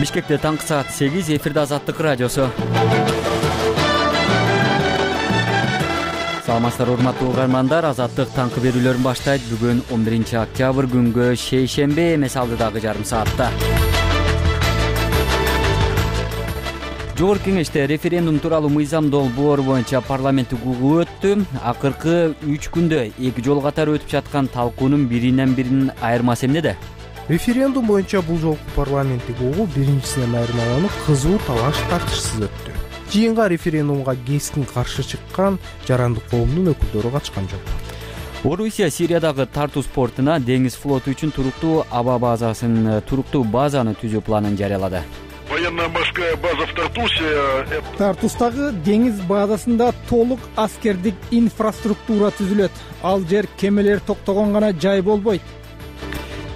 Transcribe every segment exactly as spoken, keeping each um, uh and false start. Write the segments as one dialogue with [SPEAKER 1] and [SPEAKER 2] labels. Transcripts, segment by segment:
[SPEAKER 1] Бишкекте таңкы саат сегиз, эфирде Азаттык радиосу. Саламатсыздар урматтуу угармандар, Азаттык таңкы берүүлөрүн баштайт. Бүгүн он биринчи октябрь күнгө шейшембе эмес, алдыдагы жарым саатта. Жогорку кеңеште референдум тууралуу мыйзам долбоор боюнча парламенттик угуу өттү. Акыркы үч күндө эки жолу катары өтүп жаткан талкуунун биринен биринин айырмасы эмнеде?
[SPEAKER 2] Референдум боюнча бул жолку парламенттик угуу биринчисинен айырмаланып, кызуу талаш тартышсыз өттү. Жыйынга референдумга кескин каршы чыккан жарандык коомдун өкүлдөрү катышкан жок.
[SPEAKER 1] Орусия Сириядагы тартуу портуна деңиз флоту үчүн туруктуу аба базасын туруктуу базаны түзүү планын жарыялады.
[SPEAKER 3] Военно-морская база в Тартусе.
[SPEAKER 4] Тартустагы деңиз базасында толук аскердик инфраструктура түзүлөт. Ал жер кемелер токтогон гана жай болбойт.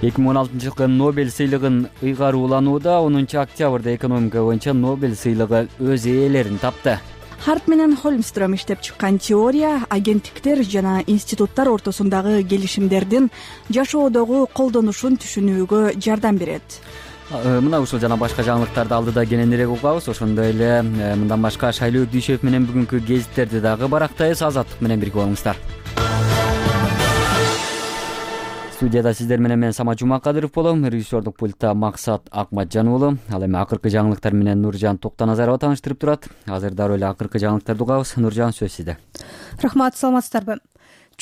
[SPEAKER 1] эки миң он алтынчы жылкы Нобель сыйлыгын ыйгарууланууда онунчу октябрда экономика боюнча Нобель сыйлыгы өз ээлерин тапты.
[SPEAKER 5] Харт менен Холмстром иштеп чыккан теория агенттиктер жана институттар ортосундагы келишимдердин жашоодогу колдонушун түшүнүүгө жардам берет.
[SPEAKER 1] Мына ушул жана башка жаңылыктарды алдыда кененирээк угабыз. Ошондой эле мындан башка Шайлоо Дүйшев менен бүгүнкү гезиттерди дагы барактайбыз. Азаттык менен бирге болуңуздар. Студияда сиздер менен мен Самат Жумакадыров болом. Режиссердук пультта Максат Акматжан уулу. Ал эми акыркы жаңылыктар менен Нуржан Токтоназарова тааныштырып турат. Азыр дароо эле акыркы жаңылыктарды угабыз. Нуржан, сөз сизде.
[SPEAKER 6] Рахмат, саламатсыздарбы?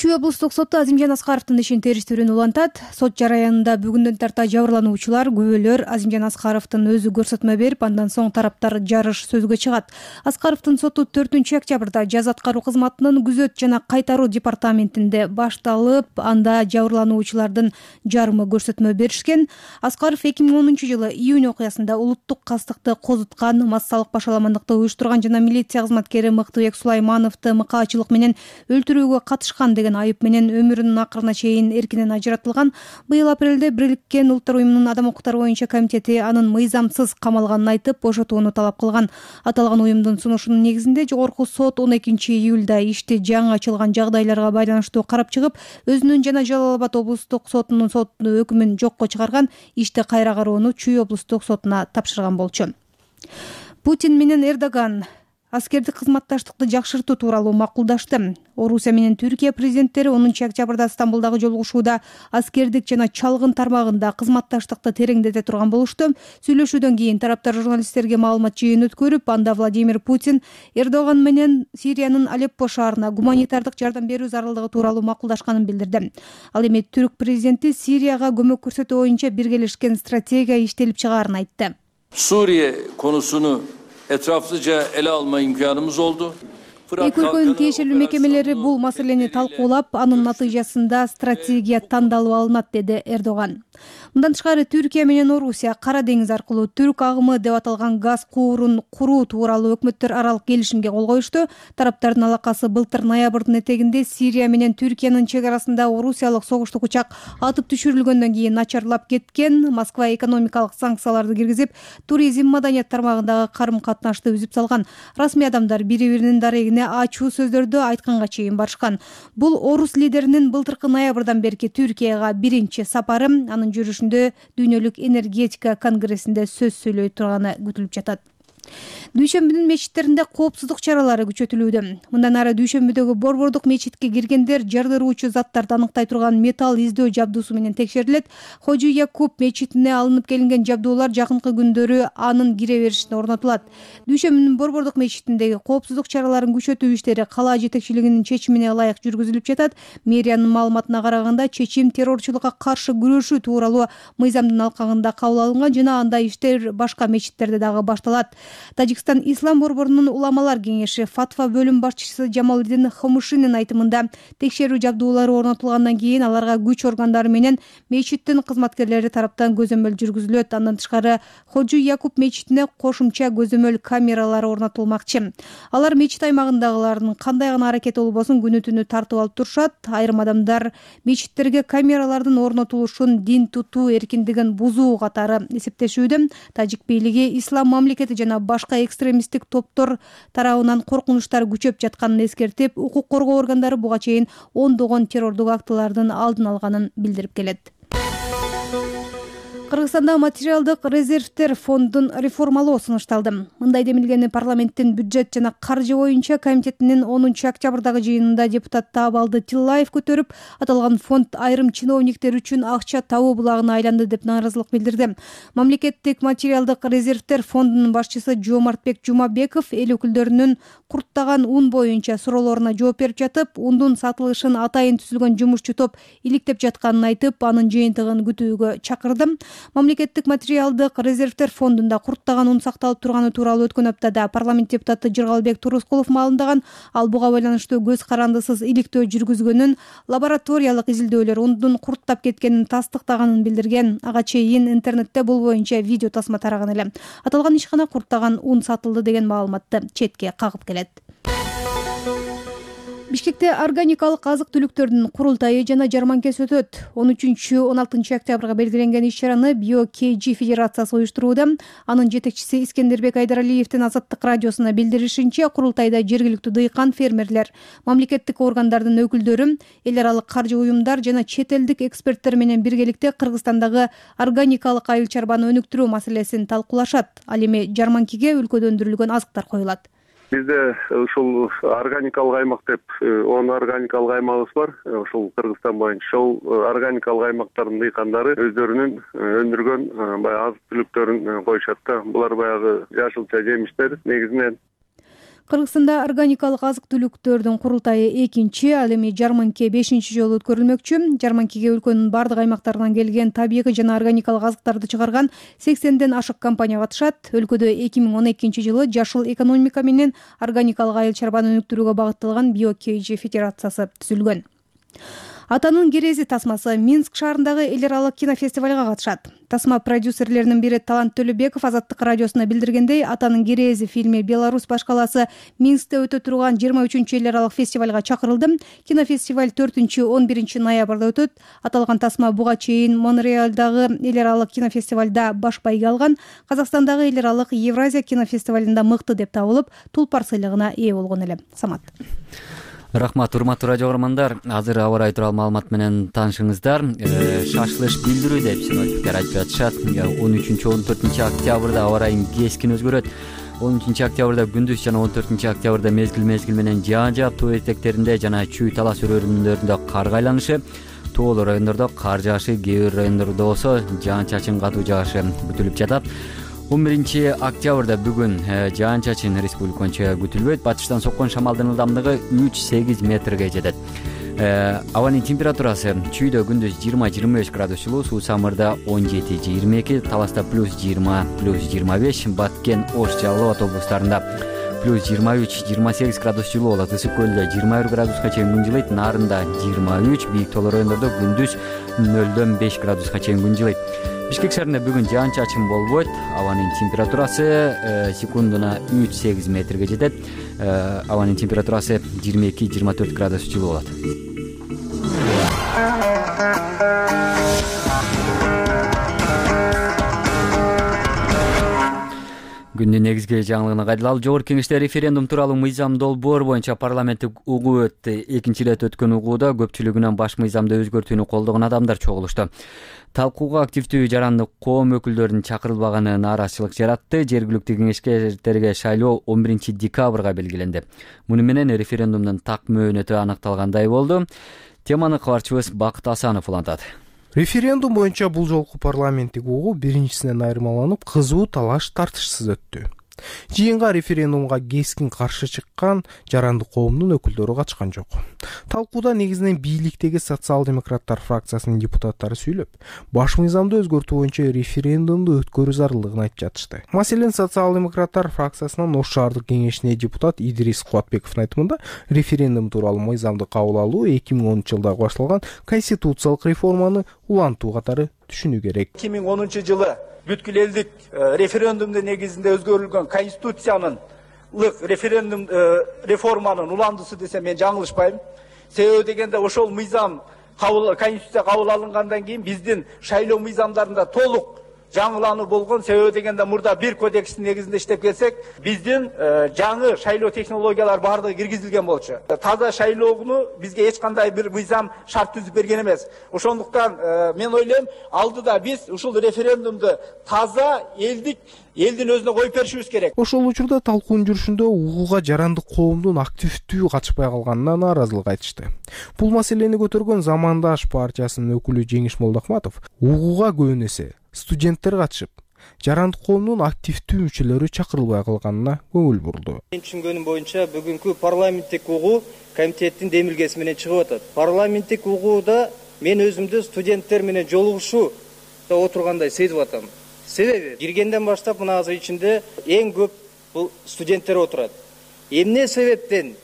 [SPEAKER 6] Чүй облустук соту Азимжан Аскаровдун ишин териштирүүнү улантат. Сот жараянында бүгүндөн тарта жабырлануучулар, күбөлөр Азимжан Аскаровдун өзү көрсөтмө берип, андан соң тараптар жарыш сөзгө чыгат. Аскаровдун соту төртүнчү октябрда жаза аткаруу кызматынын күзөт жана кайтаруу департаментинде башталып, анда жабырлануучулардын жарымы көрсөтмө беришкен. Аскаров эки миң онунчу жылы июнь окуясында улуттук кастыкты козуткан, массалык башаламандыкты уюштурган жана милиция кызматкери Мыктыбек Сулаймановду мыкаачылык менен өлтүрүүгө катышкан деген айып менен өмүрүнүн акырына чейин эркинен ажыратылган. Быйыл апрелде Бириккен Улуттар уюмунун адам укуктары боюнча комитети анын мыйзамсыз камалганын айтып, бошотууну талап кылган. Аталган уюмдун сунушунун негизинде жогорку сот он экинчи июлда ишти жаңы ачылган жагдайларга байланыштуу карап чыгып, өзүнүн жана Жалал Абад облустук сотунун сот өкүмүн жокко чыгарган. Ишти кайра кароону Чүй облустук сотуна тапшырган болчу. Путин менен Эрдоган аскердик кызматташтыкты жакшыртуу тууралуу макулдашты. Орусия менен Түркия президенттери онунчу октябрда Стамбулдагы жолугушууда аскердик жана чалгын тармагында кызматташтыкты тереңдете турган болушту. Сүйлөшүүдөн кийин тараптар журналисттерге маалымат жыйын өткөрүп, анда Владимир Путин Эрдоган менен Сириянын Алеппо шаарына гуманитардык жардам берүү зарылдыгы тууралуу макулдашканын билдирди. Ал эми түрк президенти Сирияга көмөк көрсөтүү боюнча биргелешкен стратегия иштелип чыгаарын айтты.
[SPEAKER 7] Suriye konusunu etraflıca ele alma imkanımız oldu.
[SPEAKER 6] Эки өлкөнүн тиешелүү мекемелери бул маселени талкуулап, анын натыйжасында стратегия тандалып алынат, деди Эрдоган. Мындан тышкары Түркия менен Орусия Кара деңиз аркылуу түрк агымы деп аталган газ куурун куруу тууралуу өкмөттөр аралык келишимге кол коюшту. Тараптардын алакасы былтыр ноябрдын этегинде Сирия менен Түркиянын чек арасында орусиялык согуштук учак атып түшүрүлгөндөн кийин начарлап кеткен. Москва экономикалык санкцияларды киргизип, туризм, маданият тармагындагы карым-катнашты үзүп салган. Расмий адамдар бири-биринин дарегине ачуу сөздөрдү айтканга чейин барышкан. Бул орус лидеринин былтыркы ноябрдан берки Түркияга биринчи сапары. Анын жүрүшүндө дүйнөлүк энергетика конгрессинде сөз сүйлөй турганы күтүлүп жатат. Дүйшөмбүнүн мечиттеринде коопсуздук чаралары күчөтүлүүдө. Мындан ары Дүйшөмбүдөгү Борбордук мечитке киргендер жардыруучу заттарды аныктай турган металл издөө жабдуусу менен текшерилет. Хожу Якуб мечитине алынып келинген жабдуулар жакынкы күндөрү анын кире беришине орнотулат. Дүйшөмбүнүн Борбордук мечитиндеги коопсуздук чараларын күчөтүү иштери кала жетекчилигинин чечимине ылайык жүргүзүлүп жатат. Мэриянын маалыматына караганда, чечим террорчулукка каршы күрөшүү тууралуу мыйзамдын алкагында кабыл алынган жана андай иштер башка мечиттерде дагы башталат. Тажикстан Ислам борборунун уламалар кеңеши фатва бөлүм башчысы Джамалдин Хамушинин айтымында, текшерүү жабдуулары орнотулгандан кийин аларга күч органдары менен мечиттин кызматкерлери тараптан көзөмөл жүргүзүлөт. Андан тышкары Хожу Якуб мечитине кошумча көзөмөл камералары орнотулмакчы. Алар мечит аймагындагылардын кандай гана аракети болбосун күнү түнү тартып алып турушат. Айрым адамдар мечиттерге камералардын орнотулушун дин тутуу эркиндигин бузуу катары эсептешүүдө. Тажик бийлиги ислам мамлекети жана башка экстремисттик топтор тарабынан коркунучтар күчөп жатканын эскертип, укук коргоо органдары буга чейин ондогон террордук актылардын алдын алганын билдирип келет. Кыргызстанда материалдык резервдер фондун реформалоо сунушталды. Мындай демилгени парламенттин бюджет жана каржы боюнча комитетинин онунчу октябрдагы жыйынында депутат Таабалды Тиллаев көтөрүп, аталган фонд айрым чиновниктер үчүн акча табуу булагына айланды деп нааразылык билдирди. Мамлекеттик материалдык резервдер фондунун башчысы Жомартбек Жумабеков эл өкүлдөрүнүн курттаган ун боюнча суроолоруна жооп берип жатып, ундун сатылышын атайын түзүлгөн жумушчу топ иликтеп жатканын айтып, анын жыйынтыгын күтүүгө чакырды. Мамлекеттик материалдык резервдер фондунда курттаган ун сакталып турганы тууралуу өткөн аптада парламент депутаты Жыргалбек Турускулов маалымдаган. Ал буга байланыштуу көз карандысыз иликтөө жүргүзгөнүн, лабораториялык изилдөөлөр ундун курттап кеткенин тастыктаганын билдирген. Ага чейин интернетте бул боюнча видео тасма тараган эле. Аталган ишкана курттаган ун сатылды деген маалыматты четке кагып келет. Бишкекте органикалык азык-түлүктөрдүн курултайы жана жарманкеси өтөт. он үчүнчү он алтынчы октябрга белгиленген иш-чараны Био-КG Федерациясы уюштурууда. Анын жетекчиси Искендербек Айдаралиевдин Азаттык радиосуна билдиришинче, курултайда жергиликтүү дыйкан, фермерлер, мамлекеттик органдардын өкүлдөрү, эл аралык каржы уюмдар жана чет элдик эксперттер менен биргеликте Кыргызстандагы органикалык айыл чарбаны өнүктүрүү маселесин талкуулашат. Ал эми жарманкеге өлкөдө өндүрүлгөн азыктар коюлат.
[SPEAKER 8] Бизде ушул органикалык аймак деп он органикалык аймагыбыз бар. Ушул Кыргызстан боюнча ошол органикалык аймактардын дыйкандары өздөрүнүн өндүргөн баягы азык-түлүктөрүн коюшат да. Булар баягы жашылча жемиштер негизинен.
[SPEAKER 6] Кыргызстанда органикалык азык-түлүктөрдүн курултайы экинчи, ал эми жарманке бешинчи жолу өткөрүлмөкчү. Жарманкеге өлкөнүн бардык аймактарынан келген табигый жана органикалык азыктарды чыгарган сексенден ашык компания катышат. Өлкөдө эки миң он экинчи жылы жашыл экономика менен органикалык айыл чарбаны өнүктүрүүгө багытталган Био-КG Федерациясы түзүлгөн. Атанын керези тасмасы Минск шаарындагы эл аралык кинофестивалга катышат. Тасма продюсерлеринин бири Талант Төлөбеков Азаттык радиосуна билдиргендей, Атанын керези фильми Беларусь башкаласы Минскте өтө турган жыйырма үчүнчү эл аралык фестивалга чакырылды. Кинофестиваль төртүнчү он биринчи ноябрда өтөт. Аталган тасма буга чейин Монреалдагы эл аралык кинофестивалда баш байге алган. Казакстандагы эл аралык Евразия кинофестивалында мыкты деп табылып, Тулпар сыйлыгына ээ болгон эле. Самат.
[SPEAKER 1] Рахмат, урматтуу радио көрөрмандар. Азыр аба ырайы тууралуу маалымат менен таанышыңыздар. Шашылыш билдирүү деп синоптиктер айтып жатышат. он үчүнчү он төртүнчү октябрда аба ырайы кескин өзгөрөт. он үчүнчү октябрда күндүз жана он төртүнчү октябрда мезгил мезгил менен жаан жаап, тоо этектеринде жана чүй талас өрөөнүндөрүндө кар айланышы, тоолуу райондордо кар жаашы, кээ бир райондордо болсо жаан чачын катуу жаашы күтүлүп жатат. он биринчи октябрда бүгүн жаан чачын республика боюнча күтүлбөйт. Батыштан соккон шамалдын ылдамдыгы үч сегиз метрге жетет. Абанын температурасы чүйдө күндүз жыйырма жыйырма беш градус жылуу, суу самырда он жети жыйырма эки, таласта плюс жыйырма плюс жыйырма беш, Баткен, Ош, Жалал Абад облустарында плюс жыйырма үч жыйырма сегиз градус жылуу болот. Ысык көлдө жыйырма бир градуска чейин күн жылыйт, Нарында жыйырма үч, бийик тоолуу райондордо күндүз нөлдөн беш градуска чейин күн жылыйт. Бишкек шаарында бүгүн жаан чачын болбойт. Абанын температурасы секундуна үч сегиз метрге жетет. Абанын температурасы жыйырма эки жыйырма төрт градус жылуу болот. Күндүн негизги жаңылыгына кайдылалы. Жогорку Кеңеште референдум тууралуу мыйзам долбоор боюнча парламенттик угуу өттү. Экинчи ирет өткөн угууда көпчүлүгүнөн баш мыйзамды өзгөртүүнү колдогон адамдар чогулушту. Талкууга активдүү жарандык коом өкүлдөрүнүн чакырылбаганы нааразычылык жаратты. Жергиликтүү кеңештерге шайлоо он биринчи декабрга белгиленди. Муну менен референдумдун так мөөнөтү аныкталгандай болду. Теманы кабарчыбыз Бакыт Асанов улантат.
[SPEAKER 2] Референдум боюнча бул жолку парламенттик угуу биринчисинен айырмаланып, кызуу талаш тартышсыз өттү. Жыйынга референдумга кескин каршы чыккан жарандык коомдун өкүлдөрү катышкан жок. Талкууда негизинен бийликтеги социал-демократтар фракциясынын депутаттары сүйлөп, баш мыйзамды өзгөртүү боюнча референдумду өткөрүү зарылдыгын айтып жатышты. Маселен, социал-демократтар фракциясынан Ош шаардык кеңешине депутат Идрис Кубатбековдун айтымында, референдум тууралуу мыйзамды кабыл алуу эки миң онунчу жылда башталган конституциялык реформаны улантуу катары түшүнүү керек.
[SPEAKER 9] эки миң онунчу жылы бүткүл элдик референдумдун негизинде өзгөрүлгөн конституциянын референдум реформанын уландысы десем мен жаңылышпайм. Себеби дегенде ошол мыйзам конституция кабыл алынгандан кийин биздин шайлоо мыйзамдарында толук жаңылануу болгон. Себеби дегенде мурда бир кодекстин негизинде иштеп келсек, биздин жаңы шайлоо технологиялар баардыгы киргизилген болчу. Таза шайлоону бизге эч кандай бир мыйзам шарт түзүп берген эмес. Ошондуктан мен ойлойм, алдыда биз ушул референдумду таза элдик элдин өзүнө коюп беришибиз керек.
[SPEAKER 2] Ошол учурда талкуунун жүрүшүндө угууга жарандык коомдун активдүү катышпай калганына нааразылык айтышты. Бул маселени көтөргөн Замандаш партиясынын өкүлү Жеңиш Молдохматов угууга көбүн эсе студенттер катышып, жарандык коомдун активдүү мүчөлөрү чакырылбай калганына көңүл бурду.
[SPEAKER 10] Мен түшүнгөнүм боюнча бүгүнкү парламенттик угуу комитеттин демилгеси менен чыгып атат. Парламенттик угууда мен өзүмдү студенттер менен жолугушууда отургандай сезип атам. Себеби киргенден баштап мына азыр ичинде эң көп бул студенттер отурат. Эмне себептен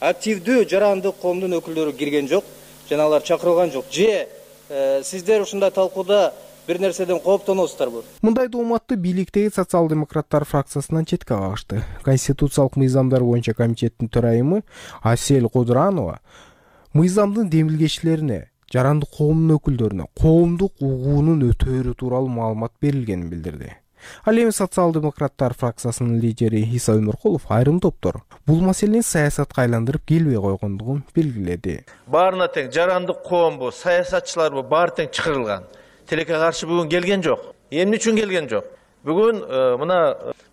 [SPEAKER 10] активдүү жарандык коомдун өкүлдөрү кирген жок, жана алар чакырылган жок? Же сиздер ушундай талкууда бир нерседен кооптоносуздарбы?
[SPEAKER 2] Мындай дооматты бийликтеги социал-демократтар фракциясынан четке кагышты. Конституциялык мыйзамдар боюнча комитеттин төрайымы Асель Кодуранова мыйзамдын демилгечилерине, жарандык коомдун өкүлдөрүнө коомдук угуунун өтөөрү тууралуу маалымат берилгенин билдирди. Ал эми социал-демократтар фракциясынын лидери Иса Өмөркулов айрым топтор бул маселени саясатка айландырып келбей койгондугун белгиледи.
[SPEAKER 11] Баарына тең жарандык коомбу, саясатчыларбы баары тең чакырылган. Тилекке каршы бүгүн келген жок. Эмне үчүн келген жок? Бүгүн мына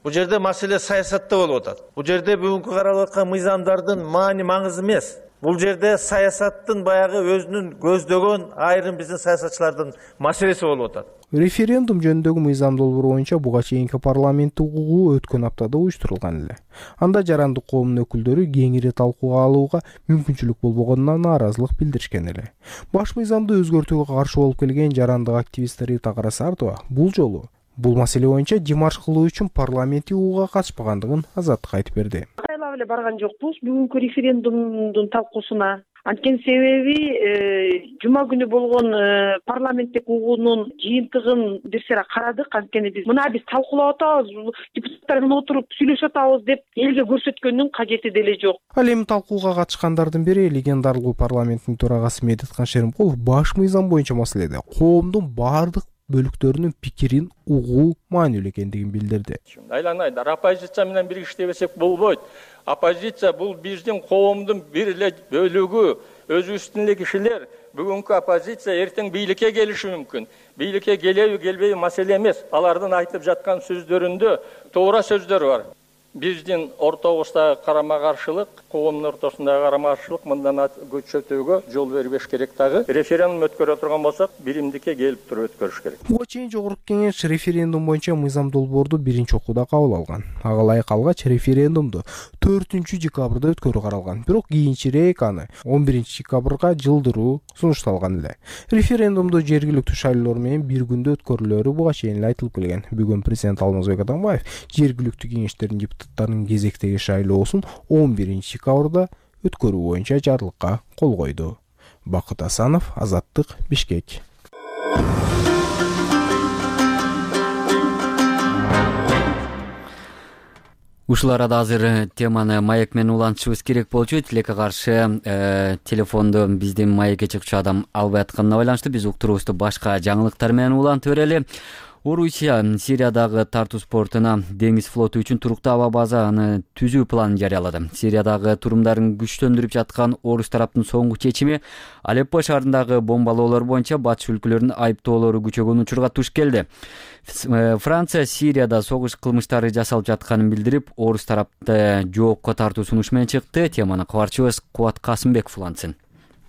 [SPEAKER 11] бул жерде маселе саясатта болуп атат. Бул жерде бүгүнкү каралып аткан мыйзамдардын маани маңызы эмес. Бул жерде саясаттын баягы өзүнүн көздөгөн айрым биздин саясатчылардын маселеси болуп атат.
[SPEAKER 2] Референдум жөнүндөгү мыйзам долбоору боюнча буга чейинки парламенттик угуу өткөн аптада уюштурулган эле. Анда жарандык коомдун өкүлдөрү кеңири талкууга алууга мүмкүнчүлүк болбогонуна нааразылык билдиришкен эле. Баш мыйзамды өзгөртүүгө каршы болуп келген жарандык активистер Рита Карасартова бул жолу бул маселе боюнча жимаш кылуу үчүн парламенттик угууга катышпагандыгын азаттык айтып берди.
[SPEAKER 12] Кайлап эле барган жокпуз бүгүнкү референдумдун талкуусуна. Анткени себеби жума күнү болгон парламенттик угуунун жыйынтыгын бир сыйра карадык. Анткени биз мына биз талкуулап атабыз, депутаттар менен отуруп сүйлөшүп атабыз деп элге көрсөткөндүн кажети деле жок.
[SPEAKER 2] Ал эми талкууга катышкандардын бири легендарлуу парламенттин төрагасы Медеткан Шеримкулов баш мыйзам боюнча маселеде коомдун баардык бөлүктөрүнүн пикирин угуу маанилүү экендигин билдирди.
[SPEAKER 13] Айланайдар оппозиция менен бир иштебесек болбойт. Оппозиция бул биздин коомдун бир эле бөлүгү, өзүбүздүн эле кишилер. Бүгүнкү оппозиция эртең бийликке келиши мүмкүн. Бийликке келеби, келбеби маселе эмес. Алардын айтып жаткан сөздөрүндө туура сөздөр бар. Биздин ортобуздагы карама-каршылык, коомдун ортосундагы карама-каршылык мындан көчөтүүгө жол бербеш керек дагы. Референдум өткөрө турган болсок, биримдикке келип туруп өткөрүш керек.
[SPEAKER 2] Буга чейин Жогорку Кеңеш референдум боюнча мыйзам долбоорду биринчи окууда кабыл алган. Ага ылайык алгач референдумду төртүнчү декабрда өткөрүү каралган. Бирок кийинчерээк аны он биринчи декабрга жылдыруу сунушталган эле. Референдумду жергиликтүү шайлоолор менен бир күндө өткөрүлөөрү буга чейин эле айтылып келген. Бүгүн президент Алмазбек Атамбаев жергиликтүү кеңештердин депутаттарынын кезектеги шайлоосун он биринчи декабрда өткөрүү боюнча жарлыкка кол койду. Бакыт Асанов, Азаттык, Бишкек.
[SPEAKER 1] Ушул арада азыр теманы маек менен улантышыбыз керек болчу. Тилекке каршы э, телефонду биздин маекке чыкчу адам албай атканына байланыштуу биз уктуруубузду башка жаңылыктар менен улантып берели. Орусия Сириядагы тартуш портуна деңиз флоту үчүн туруктуу аба базаны түзүү планын жарыялады. Сириядагы турумдарын күчтөндүрүп жаткан орус тараптын соңку чечими Алеппо шаарындагы бомбалоолор боюнча батыш өлкөлөрүнүн айыптоолору күчөгөн учурга туш келди. Франция Сирияда согуш кылмыштары жасалып жатканын билдирип, орус тарапты жоопко тартуу сунуш менен чыкты. Теманы кабарчыбыз Кубат Касымбеков улантсын.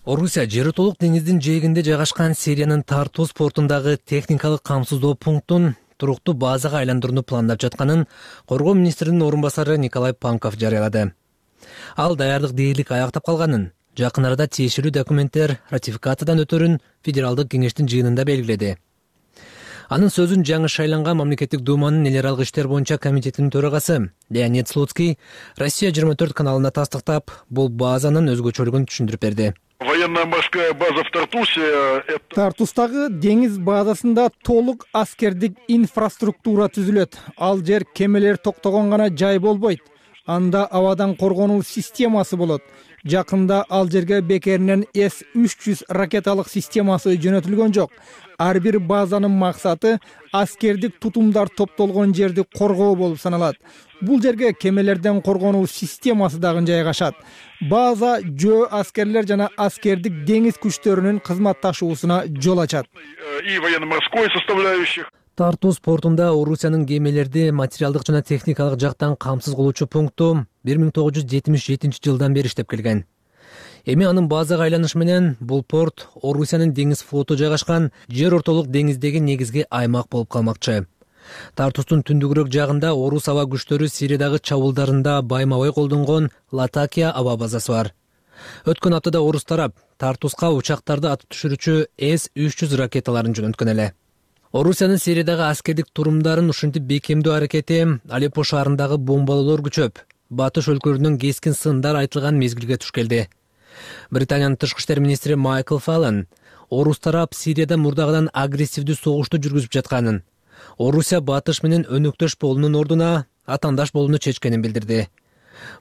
[SPEAKER 14] Орусия жери толук деңиздин жээгинде жайгашкан Сириянын Тартус портундагы техникалык камсыздоо пунктун туруктуу базага айландырууну пландап жатканын коргоо министринин орун басары Николай Панков жарыялады. Ал даярдык дээрлик аяктап калганын, жакын арада тиешелүү документтер ратификациядан өтөрүн федералдык кеңештин жыйынында белгиледи. Анын сөзүн жаңы шайланган мамлекеттик думанын эл аралык иштер боюнча комитетинин төрагасы Леонид Слуцкий Россия жыйырма төрт каналына тастыктап, бул базанын өзгөчөлүгүн түшүндүрүп берди.
[SPEAKER 3] Военно-морская база в Тартусе.
[SPEAKER 4] Тартустагы деңиз базасында толук аскердик инфраструктура түзүлөт. Ал жер кемелер токтогон гана жай болбойт. Анда абадан коргонуу системасы болот. жакында ал жерге бекеринен эс үч жүз ракеталык системасы жөнөтүлгөн жок. Ар бир базанын максаты аскердик тутумдар топтолгон жерди коргоо болуп саналат. Бул жерге кемелерден коргонуу системасы дагы жайгашат. База жөө аскерлер жана аскердик деңиз күчтөрүнүн кызматташуусуна жол ачат.
[SPEAKER 3] И военно-морской составляющих.
[SPEAKER 14] Тартус портунда Орусиянын кемелерди материалдык жана техникалык жактан камсыз кылуучу пункту бир миң тогуз жүз жетимиш жетинчи жылдан бери иштеп келген. Эми анын базага айланышы менен бул порт Орусиянын деңиз флоту жайгашкан жер ортолук деңиздеги негизги аймак болуп калмакчы. Тартустун түндүгүрөөк жагында орус аба күчтөрү Сириядагы чабуулдарында байма-бай колдонгон Латакия аба базасы бар. Өткөн аптада орус тарап Тартуска учактарды атып түшүрүүчү эс үч жүз ракеталарын жөнөткөн эле. Орусиянын Сириядагы аскердик турумдарын ушинтип бекемдөө аракети Алеппо шаарындагы бомбалоолор күчөп, батыш өлкөлөрүнөн кескин сындар айтылган мезгилге туш келди. Британиянын тышкы иштер министри Майкл Фаллон орус тарап Сирияда мурдагыдан агрессивдүү согушту жүргүзүп жатканын, Орусия батыш менен өнөктөш болуунун ордуна атаандаш болууну чечкенин билдирди.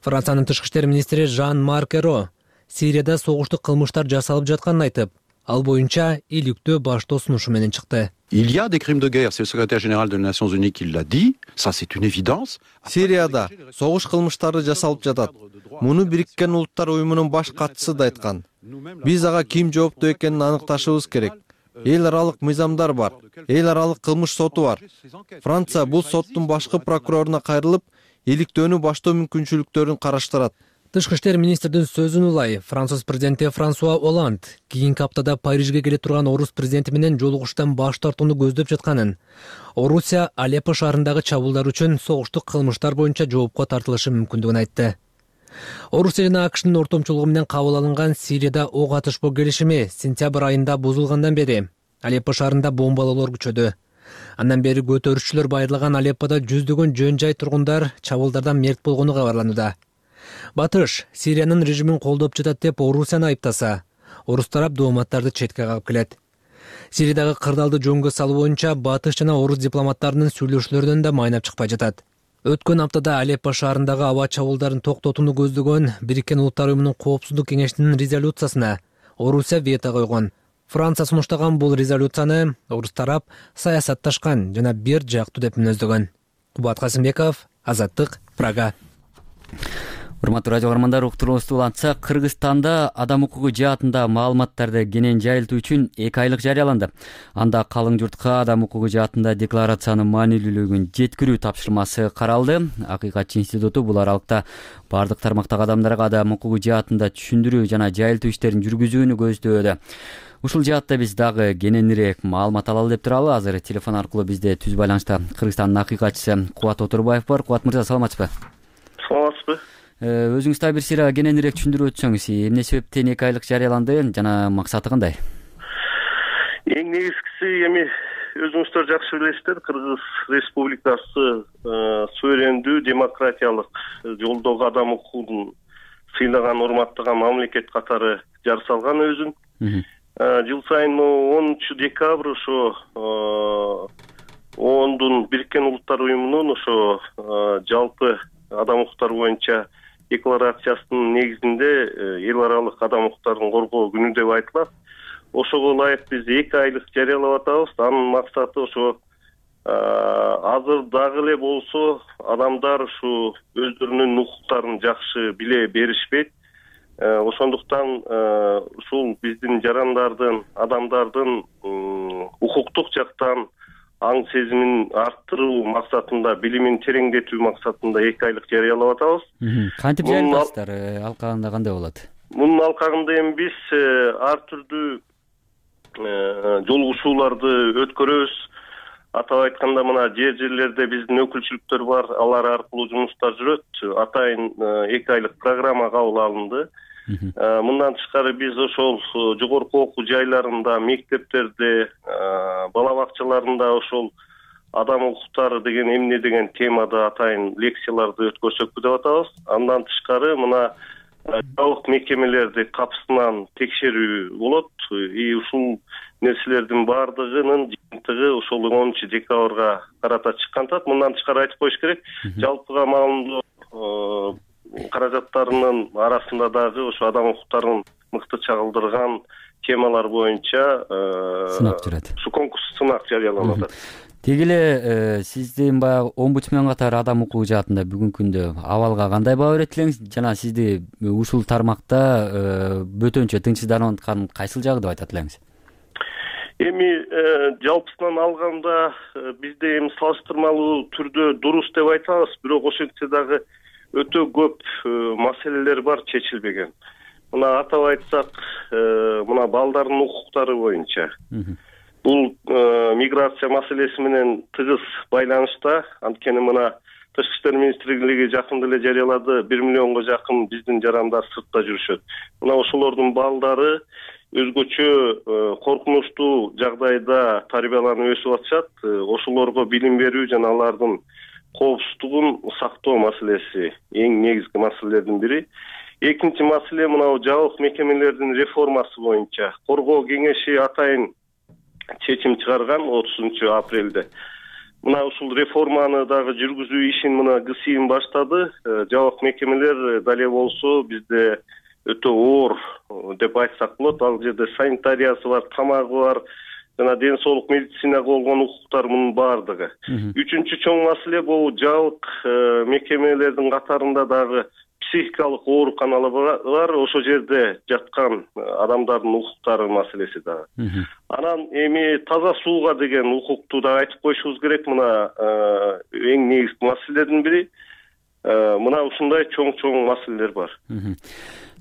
[SPEAKER 14] Франциянын тышкы иштер министри Жан-Марк Эро Сирияда согуштук кылмыштар жасалып жатканын айтып, ал боюнча иликтөө баштоо сунушу менен чыкты.
[SPEAKER 15] Il y a des crimes de guerre, c'est le secrétaire général des Nations Unies qui l'a dit, ça c'est une évidence.
[SPEAKER 16] Сирияда согуш кылмыштары жасалып жатат. Муну Бириккен Улуттар уюмунун баш катчысы да айткан. Биз ага ким жооптуу экенин аныкташыбыз керек. Эл аралык мыйзамдар бар. Эл аралык кылмыш соту бар. Франция бул соттун башкы прокуроруна кайрылып, иликтөөнү баштоо мүмкүнчүлүктөрүн караштырат.
[SPEAKER 14] Тышкы иштер министрдин сөзүн улай Француз президенти Франсуа Оланд кийинки аптада Парижге келе турган орус президенти менен жолугуштан баш тартууну көздөп жатканын, Орусия Алеппо шаарындагы чабуулдар үчүн согуштук кылмыштар боюнча жоопко тартылышы мүмкүндүгүн айтты. Орусия жана АКШнын ортомчулугу менен кабыл алынган Сирияда ок атышпоо келишими сентябрь айында бузулгандан бери Алеппо шаарында бомбалоолор күчөдү. Андан бери көтөрүшчүлөр байырлаган Алеппода жүздөгөн жөн жай тургундар чабуулдардан мерт болгону кабарланууда. Батыш Сириянын режимин колдоп жатат деп Орусияны айыптаса, орус тарап дооматтарды четке кагып келет. Сириядагы кырдаалды жөнгө салуу боюнча Батыш жана орус дипломаттарынын сүйлөшүүлөрүнөн да майнап чыкпай жатат. Өткөн аптада Алеппо шаарындагы аба чабуулдарын токтотууну көздөгөн Бириккен Улуттар уюмунун коопсуздук кеңешинин резолюциясына Орусия вето койгон. Франция сунуштаган бул резолюцияны орус тарап саясатташкан жана бир жактуу деп мүнөздөгөн. Кубат Касымбеков, Азаттык, Прага.
[SPEAKER 1] Урматтуу радио каармандар, уктуруңузду улантсак, Кыргызстанда адам укугу жаатында маалыматтарды кенен жайылтуу үчүн эки айлык жарыяланды. Анда калың журтка адам укугу жаатында декларациянын маанилүүлүгүн жеткирүү тапшырмасы каралды. Акыйкатчы институту бул аралыкта бардык тармактагы адамдарга адам укугу жаатында түшүндүрүү жана жайылтуу иштерин жүргүзүүнү көздөөдө. Ушул жаатта биз дагы кененирээк маалымат алалы деп туралы. Азыр телефон аркылуу бизде түз байланышта Кыргызстандын акыйкатчысы Кубат Отурбаев бар. Кубат мырза, саламатсызбы?
[SPEAKER 8] Саламатсызбы?
[SPEAKER 1] Өзүңүз дагы бир сыйра кененирээк түшүндүрүп өтсөңүз, эмне себептен эки айлык жарыяланды жана максаты кандай?
[SPEAKER 8] Эң негизгиси эми өзүңүздөр жакшы билесиздер, Кыргыз Республикасы суверендүү демократиялык жолдогу адам укугун сыйлаган, урматтаган мамлекет катары жар салган өзүн. Жыл сайын онунчу декабрь ошо ондун Бириккен Улуттар уюмунун ошо жалпы адам укуктары боюнча декларациясынын негизинде эл аралык адам укуктарын коргоо күнү деп айтылат. Ошого ылайык биз эки айлык жарыялап атабыз. Анын максаты ошо азыр дагы эле болсо адамдар ушу өздөрүнүн укуктарын жакшы биле беришпейт. Ошондуктан ушул биздин жарандардын, адамдардын укуктук жактан аң сезимин арттыруу максатында, билимин тереңдетүү максатында эки айлык жарыялап атабыз.
[SPEAKER 1] Кантип жарыялайсыздар? Алкагында кандай болот?
[SPEAKER 8] Мунун алкагында эми биз ар түрдүү жолугушууларды өткөрөбүз. Атап айтканда, мына жер жерлерде биздин өкүлчүлүктөр бар, алар аркылуу жумуштар жүрөт. Атайын эки айлык программа кабыл алынды. Мындан тышкары биз ошол жогорку окуу жайларында, мектептерде, бала бакчаларында ошол адам укуктары деген эмне деген темада атайын лекцияларды өткөрсөкпү деп атабыз. Андан тышкары мына жабык мекемелерди капысынан текшерүү болот. И ушул нерселердин баардыгынын жыйынтыгы ошол онунчу декабрга карата чыккан. Мындан тышкары айтып коюш керек, жалпыга маалымдоо
[SPEAKER 17] каражаттарынын арасында дагы ошо адам укуктарын мыкты чагылдырган темалар боюнча
[SPEAKER 1] сынак жүрөт.
[SPEAKER 17] Ушу конкурс сынак жарыяланып атат.
[SPEAKER 1] Теги эле сиздин баягы омбудсмен катары адам укугу жаатында бүгүнкү күндө абалга кандай баа берет элеңиз жана сизди ушул тармакта бөтөнчө тынчсызданып аткан кайсыл жагы деп айтат элеңиз?
[SPEAKER 17] Эми жалпысынан алганда бизде эми салыштырмалуу түрдө дурус деп айтабыз, бирок ошентсе дагы өтө көп маселелер бар чечилбеген. Мына атап айтсак, мына балдардын укуктары боюнча бул миграция маселеси менен тыгыз байланышта. Анткени мына Тышкы иштер министрлиги жакында эле жарыялады, бир миллионго жакын биздин жарандар сыртта жүрүшөт. Мына ошолордун балдары өзгөчө коркунучтуу жагдайда тарбияланып өсүп атышат. Ошолорго билим берүү жана алардын коопсуздугун сактоо маселеси эң негизги маселелердин бири. Экинчи маселе мына жабык мекемелердин реформасы боюнча коргоо кеңеши атайын чечим чыгарган отузунчу апрелде. Мына ушул реформаны дагы жүргүзүү ишин мына ГСИМ баштады. Жабык мекемелер дале болсо бизде өтө оор деп айтсак болот. Ал жерде санитариясы бар, тамагы бар, жана ден соолук медицинага болгон укуктар мунун баардыгы. Үчүнчү чоң маселе бул жабык мекемелердин катарында дагы психикалык ооруканалар бар, ошол жерде жаткан адамдардын укуктары маселеси дагы. Анан эми таза сууга деген укукту да айтып коюшубуз керек. Мына эң негизги маселелердин бири. Мына ушундай чоң-чоң маселелер бар.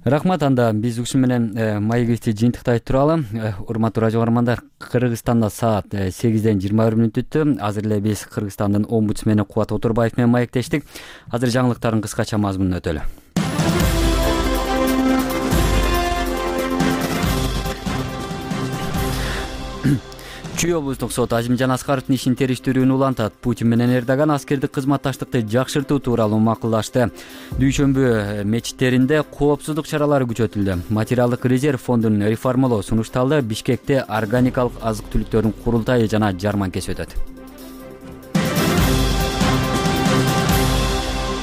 [SPEAKER 1] Рахмат. Анда биз ушун менен маегибизди жыйынтыктай туралы. Урматтуу радио көрөрмандар, Кыргызстанда саат сегизден жыйырма бир мүнөт өттү. Азыр эле биз Кыргызстандын омбудсмени Кубат Отурбаев менен маектештик. Азыр жаңылыктардын кыскача мазмунун өтөлү. Чүй облустук сот Азимжан Аскаровдун ишин териштирүүнү улантат. Путин менен Эрдоган аскердик кызматташтыкты жакшыртуу тууралуу макулдашты. Дүйшөмбү мечиттеринде коопсуздук чаралары күчөтүлдү. Материалдык резерв фондун реформалоо сунушталды. Бишкекте органикалык азык-түлүктөрдүн курултайы жана жарманкеси өтөт.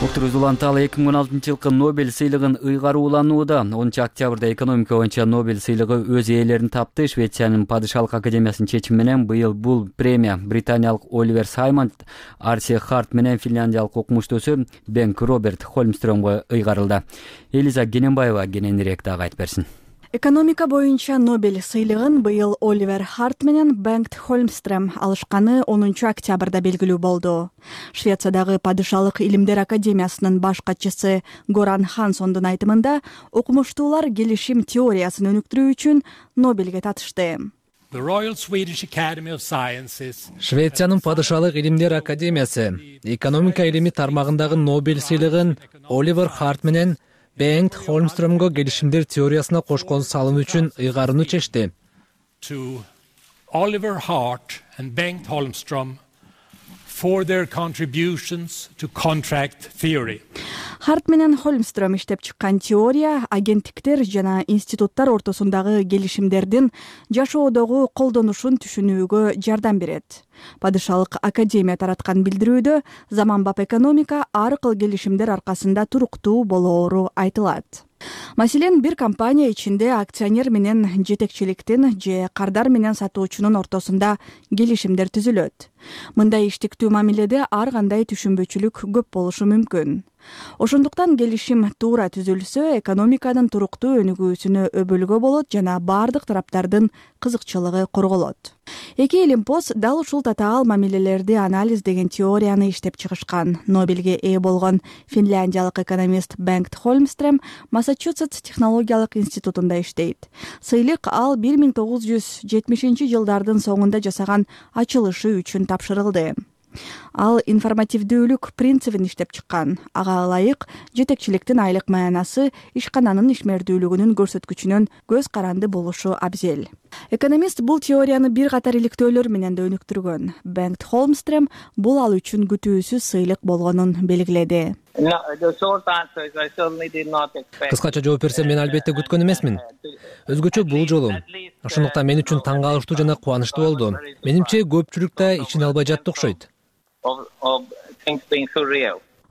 [SPEAKER 1] Уктуруз уланталы эки миң он алтынчы жылкы Нобель сыйлыгын ыйгаруу уланууда. онунчу октябрда экономика боюнча Нобель сыйлыгы өз ээлерин тапты. Швециянын падышалык академиясынын чечими менен быйыл бул премия британиялык Оливер Саймонд, Арси Харт менен финляндиялык окумуштуусу Бенг Роберт Холмстрёмго ыйгарылды. Элиза Гененбаева кененирээк дагы айтып берсин.
[SPEAKER 5] Экономика боюнча Нобель сыйлыгын быйыл Оливер Харт менен Бенг Холмстрем алышканы онунчу октябрда белгилүү болду. Швециядагы падышалык илимдер академиясынын баш катчысы Горан Хансондун айтымында, окумуштуулар келишим теориясын өнүктүрүү үчүн Нобелге татышты.
[SPEAKER 14] Швециянын падышалык илимдер академиясы экономика илими тармагындагы Нобель сыйлыгын Оливер Харт менен Бенг Холмстрёмго келишимдер теориясына кошкон салым үчүн ыйгарууну чечти.
[SPEAKER 18] Oliver Hart and Bengt Holmstrom for their contributions to contract theory.
[SPEAKER 5] Харт менен Холмстрём иштеп чыккан теория агенттиктер жана институттар ортосундагы келишимдердин жашоодогу колдонушун түшүнүүгө жардам берет. Падышалык академия тараткан билдирүүдө заманбап экономика ар кыл келишимдер аркасында туруктуу болоору айтылат. Маселен, бир компания ичинде акционер менен жетекчиликтин же кардар менен сатуучунун ортосунда келишимдер түзүлөт. Мындай иштиктүү мамиледе ар кандай түшүнбөчүлүк көп болушу мүмкүн. Ошондуктан келишим туура түзүлсө, экономиканын туруктуу өнүгүүсүнө өбөлгө болот жана бардык тараптардын кызыкчылыгы корголот. Эки илимпоз дал ушул татаал мамилелерди анализдеген теорияны иштеп чыгышкан. Нобелге ээ болгон финляндиялык экономист Бенг Холмстрем Массачусетс технологиялык институтунда иштейт. Сыйлык ал бир миң тогуз жүз жетимишинчи жылдардын соңунда жасаган ачылышы үчүн тапшырылды. Ал информативдүүлүк принцибин иштеп чыккан. Ага ылайык жетекчиликтин айлык маянасы ишкананын ишмердүүлүгүнүн көрсөткүчүнөн көз каранды болушу абзел. Экономист бул теорияны бир катар иликтөөлөр менен да өнүктүргөн. Бенг Холмстрем бул ал үчүн күтүүсүз сыйлык болгонун белгиледи.
[SPEAKER 14] Кыскача жооп берсем, мен албетте күткөн эмесмин. Өзгөчө бул жолу. Ошондуктан мен үчүн таң калыштуу жана кубанычтуу болду. Менимче көпчүлүк да ишине албай жатты окшойт.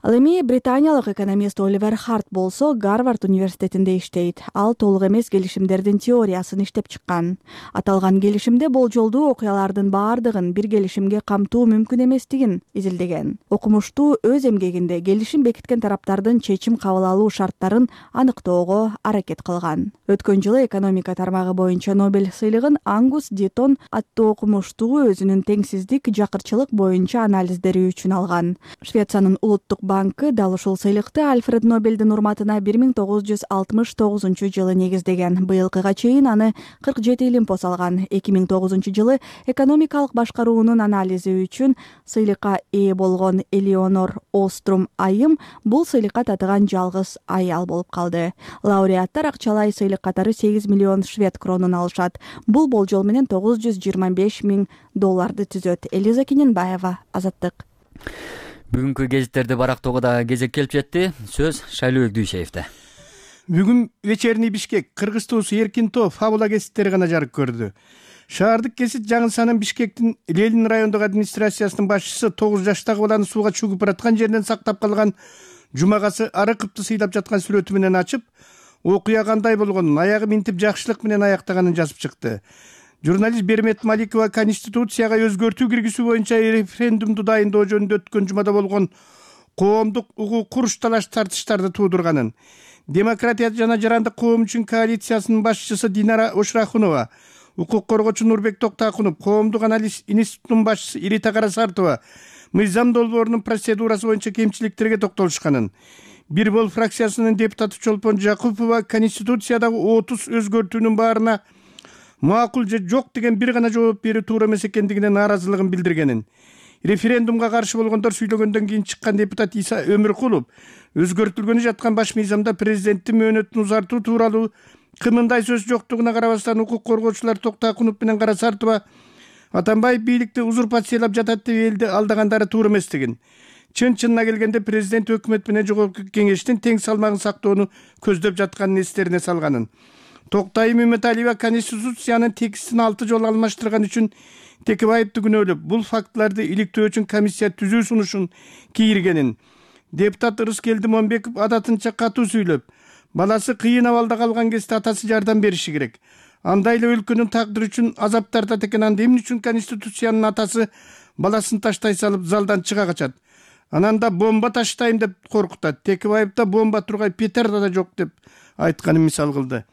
[SPEAKER 5] Ал эми британиялык экономист Оливер Харт болсо Гарвард университетинде иштейт. Ал толук эмес келишимдердин теориясын иштеп чыккан. Аталган келишимде болжолдуу окуялардын баардыгын бир келишимге камтуу мүмкүн эместигин изилдеген. Окумуштуу өз эмгегинде келишим бекиткен тараптардын чечим кабыл алуу шарттарын аныктоого аракет кылган. Өткөн жылы экономика тармагы боюнча Нобель сыйлыгын Ангус Дитон аттуу окумуштуу өзүнүн теңсиздик, жакырчылык боюнча анализдери үчүн алган. Швециянын улуттук банкы дал ушул сыйлыкты Альфред Нобелдин урматына бир миң тогуз жүз алтымыш тогузунчу жылы негиздеген. Быйылкыга чейин аны кырк жети илимпоз алган. эки миң тогузунчу жылы экономикалык башкаруунун анализи үчүн сыйлыкка ээ болгон Элеонор Острум айым бул сыйлыкка татыган жалгыз аял болуп калды. Лауреаттар акчалай сыйлык катары сегиз миллион швед кронун алышат. Бул болжол менен тогуз жүз жыйырма беш миң долларды түзөт. Элиза Кененбаева, Азаттык.
[SPEAKER 1] Бүгүнкү гезиттерди барактоого да кезек келип жетти. Сөз Шайлоо Дүйшеевде.
[SPEAKER 19] Бүгүн вечерний Бишкек Кыргызтоосу Эркинтоо фабула гезиттери гана жарык көрдү. Шаардык гезит жаңылсанын Бишкектин Ленин райондук администрациясынын башчысы тогуз жаштагы баланы сууга чөгүп бараткан жеринен сактап калган Жумагасы Арыковду сыйлап жаткан сүрөтү менен ачып, окуя кандай болгонун, аягы минтип жакшылык менен аяктаганын жазып чыкты. Журналист Бермет Маликова Конституцияга өзгөртүү киргизүү боюнча референдумду дайындоо жөнүндө өткөн жумада болгон коомдук угуу куруш талаш тартыштарды туудурганын, Демократия жана жарандык коом үчүн коалициясынын башчысы Динара Ошрахунова, укук коргоочу Нурбек Токтакунов, коомдук анализ институтунун башчысы Ирита Карасартова мыйзам долбоорунун процедурасы боюнча кемчиликтерге токтолушканын, Бир бол фракциясынын депутаты Чолпон Жакупова Конституциядагы отуз өзгөртүүнүн баарына макул же жок деген бир гана жооп берүү туура эмес экендигине нааразылыгын билдиргенин, референдумга каршы болгондор сүйлөгөндөн кийин чыккан депутат Иса Өмүркулов өзгөртүлгөнү жаткан баш мыйзамда президенттин мөөнөтүн узартуу тууралуу кымындай сөз жоктугуна карабастан укук коргоочулар Токтакунов менен Карасартова Атамбаев бийликти узурпациялап жатат деп элди алдагандары туура эместигин, чын-чынына келгенде президент өкмөт менен жогорку кеңештин тең салмагын сактоону көздөп жатканын эстерине салганын, Токтайым Үмүталиева Конституциянын текстин алты жолу алмаштырган үчүн Текебаевди күнөөлөп, бул фактыларды иликтөө үчүн комиссия түзүү сунушун кийиргенин, депутат Ырыскелди Момбеков адатынча катуу сүйлөп, баласы кыйын абалда калган кезде атасы жардам бериши керек. Андай эле өлкөнүн тагдыры үчүн азап тартат экен, анда эмне үчүн Конституциянын атасы баласын таштай салып залдан чыга качат? Анан да бомба таштайм деп коркутат. Текебаевда бомба тургай петарда да жок деп айтканын мисал кылды.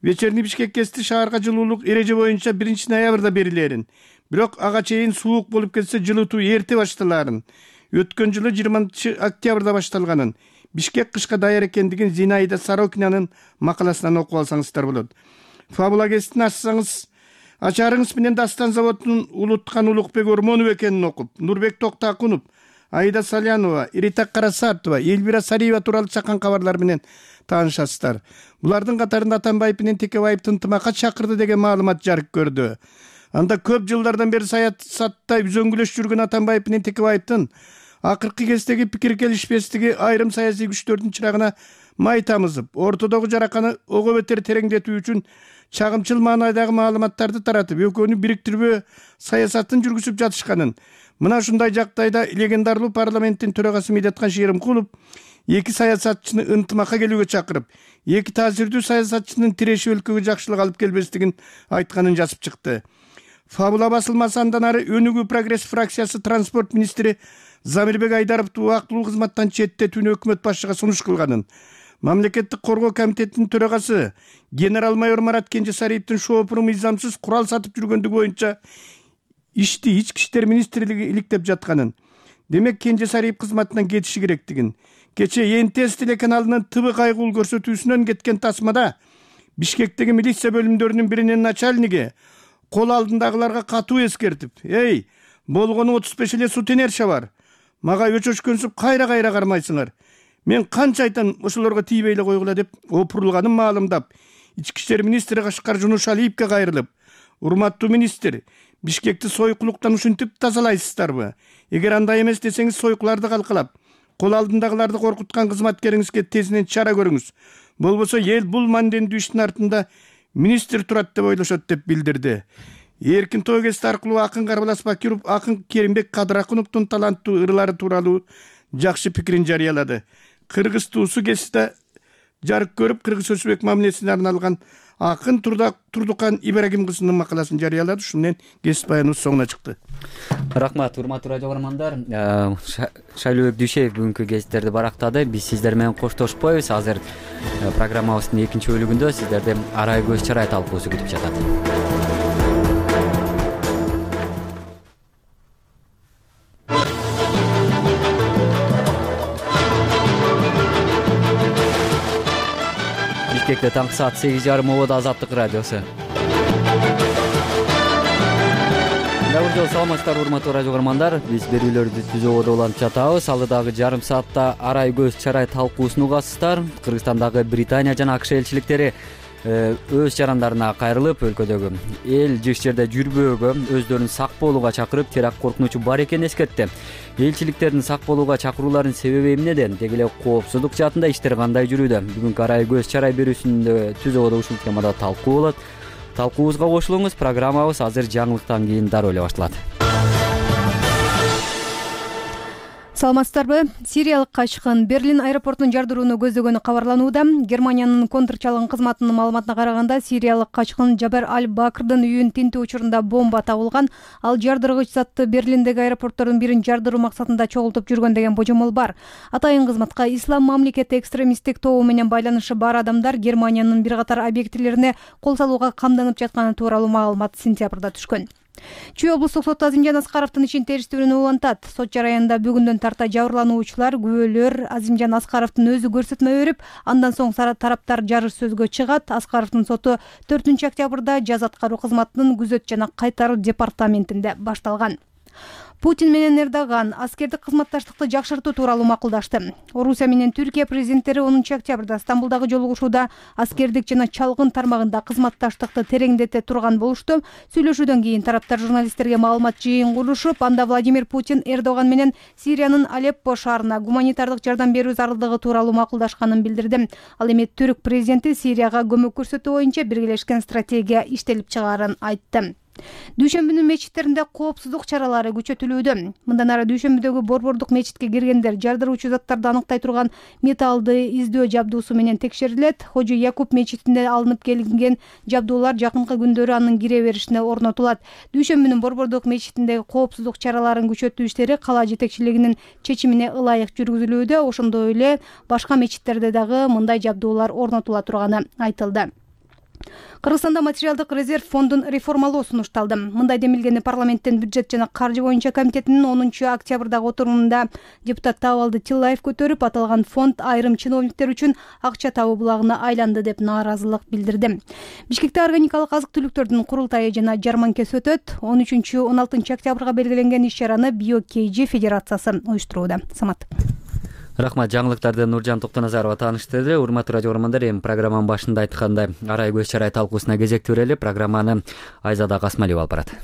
[SPEAKER 19] Вечерний Бишкек гезити шаарга жылуулук эреже боюнча биринчи ноябрда берилерин, бирок ага чейин суук болуп кетсе жылытуу эрте башталарын, өткөн жылы жыйырманчы октябрда башталганын, Бишкек кышка даяр экендигин Зинаида Сорокинанын макаласынан окуп алсаңыздар болот. Фабула гезитин ачсаңыз, ачарыңыз менен Дастан заводунун улуткан Улукбек Ормонов экенин окуп, Нурбек Токтакунов, Аида Салянова, Ирита Карасартова, Эльвира Сариева тууралуу чакан кабарлар менен таанышасыздар. Булардын катарында Атамбаев менен Текебаевди ынтымакка чакырды деген маалымат жарык көрдү. Анда көп жылдардан бери саясатта үзөңгүлөш жүргөн Атамбаев менен Текебаевдин акыркы кездеги пикир келишпестиги айрым саясий күчтөрдүн чырагына май тамызып, ортодогу жараканы ого бетер тереңдетүү үчүн чагымчыл маанайдагы маалыматтарды таратып, экөөнү бириктирбөө саясатын жүргүзүп жатышканын, мына ушундай жагдайда легендарлуу парламенттин төрагасы Медеткан Шеримкулов эки саясатчыны ынтымакка келүүгө чакырып, эки таасирдүү саясатчынын тиреши өлкөгө жакшылык алып келбестигин айтканын жазып чыкты. Фабула басылмасы андан ары Өнүгүү прогресс фракциясы транспорт министри Замирбек Айдаровду убактылуу кызматтан четтетүүнү өкмөт башчыга сунуш кылганын, Мамлекеттик коргоо комитетинин төрагасы генерал-майор Марат Кенжесариевдин шоопуру мыйзамсыз курал сатып жүргөндүгү боюнча ишти ички иштер министрлиги иликтеп жатканын, демек Кенжесариев кызматынан кетиши керектигин, кече Эн Тэ Эс телеканалынын Ты Бы кайгуул көрсөтүүсүнөн кеткен тасмада Бишкектеги милиция бөлүмдөрүнүн биринин начальниги кол алдындагыларга катуу эскертип, «Эй, болгону отуз беш эле сутенерша бар. Мага өчөшкөнсүп кайра-кайра кармайсыңар. Мен канча айтам ошолорго тийбей эле койгула» деп опурулганын маалымдап, ички иштер министри Кашкар Жунушалиевге кайрылып, «Урматтуу министр, Бишкекти сойкулуктан ушинтип тазалайсыздарбы? Эгер андай эмес десеңиз, сойкуларды калкалап, кол алдындагыларды коркуткан кызматкериңизге тезинен чара көрүңүз. Болбосо эл бул мандендүү иштин артында министр турат деп ойлошот» деп билдирди. Эркинтоо гезити аркылуу акын Карбалас Бакиров акын Керимбек Кадыракуновдун таланттуу ырлары тууралуу жакшы пикирин жарыялады. Кыргыз туусу кесипте жарык көрүп, Кыргыз Өзбек мамилесине арналган акын Турдукан Ибрагим кызынын макаласын жарыялады. Ушун менен кесип баяныбыз соңуна чыкты.
[SPEAKER 1] Рахмат, урматтуу радио көрөрмандар. Шайлообек Дүйшеев бүгүнкү гезиттерди барактады. Биз сиздер менен коштошпойбуз. Азыр программабыздын экинчи бөлүгүндө сиздерди арай көз чарай талкуусу күтүп жатат. Бишкекте таңкы саат сегиз жарым ободо Азаттык радиосу. Дагы жол саламатсыздар, урматтуу радио көрөрмандар. Биз берүүлөрдү түзүүгө улантып жатабыз. Алдыдагы жарым саатта арай көз чарай талкуусун угасыздар. Кыргызстандагы Британия жана АКШ элчиликтери өз жарандарына кайрылып, өлкөдөгү эл жыш жерде жүрбөөгө, өздөрүн сак болууга чакырып, теракт коркунучу бар экенин эскертти. Элчиликтердин сак болууга чакырууларынын себеби эмнеде? Деги эле коопсуздук жаатында иштер кандай жүрүүдө? Бүгүнкү арай көз чарай берүүсүндө түзүүгө ушул темада талкуу болот. Талкуубузга кошулуңуз. Программабыз азыр жаңылыктан кийин дароо эле башталат.
[SPEAKER 6] Саламатсыздарбы? Сириялык качкын Берлин аэропортунун жардырууну көздөгөнү кабарланууда. Германиянын контрчалгын кызматынын маалыматына караганда, сириялык качкын Жабер Аль-Бакрдын үйүн тинтүү учурунда бомба табылган. Ал жардыргыч затты Берлиндеги аэропорттордун бирин жардыруу максатында чогултуп жүргөн деген божомол бар. Атайын кызматка ислам мамлекети экстремисттик тобу менен байланышы бар адамдар Германиянын бир катар объектилерине кол салууга камданып жатканы тууралуу маалымат сентябрда түшкөн. Чүй облустук соту Азимжан Аскаровдун ишин териштирүүнү улантат. Сот жараянында бүгүндөн тарта жабырлануучулар, күбөлөр Азимжан Аскаровдун өзү көрсөтмө берип, андан соң тараптар жарыш сөзгө чыгат. Аскаровдун соту төртүнчү октябрда жаза аткаруу кызматынын күзөт жана кайтаруу департаментинде башталган. Путин менен Эрдоган аскердик кызматташтыкты жакшыртуу тууралуу макулдашты. Орусия менен Түркия президенттери онунчу октябрда Стамбулдагы жолугушууда аскердик жана чалгын тармагында кызматташтыкты тереңдете турган болушту. Сүйлөшүүдөн кийин тараптар журналисттерге маалымат жыйын курушуп, анда Владимир Путин Эрдоган менен Сириянын Алеппо шаарына гуманитардык жардам берүү зарылдыгы тууралуу макулдашканын билдирди. Ал эми түрк президенти Сирияга көмөк көрсөтүү боюнча биргелешкен стратегия иштелип чыгаарын айтты. Дүйшөмбүнүн мечиттеринде коопсуздук чаралары күчөтүлүүдө. Мындан ары Дүйшөмбүдөгү Борбордук мечитке киргендер жардыруучу заттарды аныктай турган металлды издөө жабдуусу менен текшерилет. Хожу Якуб мечитинде алынып келинген жабдуулар жакынкы күндөрү анын кире беришине орнотулат. Дүйшөмбүнүн Борбордук мечитиндеги коопсуздук чараларын күчөтүү иштери кала жетекчилигинин чечимине ылайык жүргүзүлүүдө. Ошондой эле башка мечиттерде дагы мындай жабдуулар орнотула турганы айтылды. Кыргызстанда материалдык резерв фондун реформалоо сунушталды. Мындай демилгени парламенттин бюджет жана каржы боюнча комитетинин онунчу октябрдагы отурумунда депутат Табалды Тиллаев көтөрүп, аталган фонд айрым чиновниктер үчүн акча табуу булагына айланды деп нааразылык билдирди. Бишкекте органикалык азык-түлүктөрдүн курултайы жана жарманкеси өтөт. он үчүнчү он алтынчы октябрга белгиленген иш-чараны Био-Кейжи федерациясы уюштурууда. Самат.
[SPEAKER 1] Рахмат, жаңылыктарды Нуржан Токтоназарова тааныштырды. Урматтуу радио көрөрмандар, эми программанын башында айткандай арай көз чарай талкуусуна кезек берели. Программаны Айзада Касмалиева алып барат.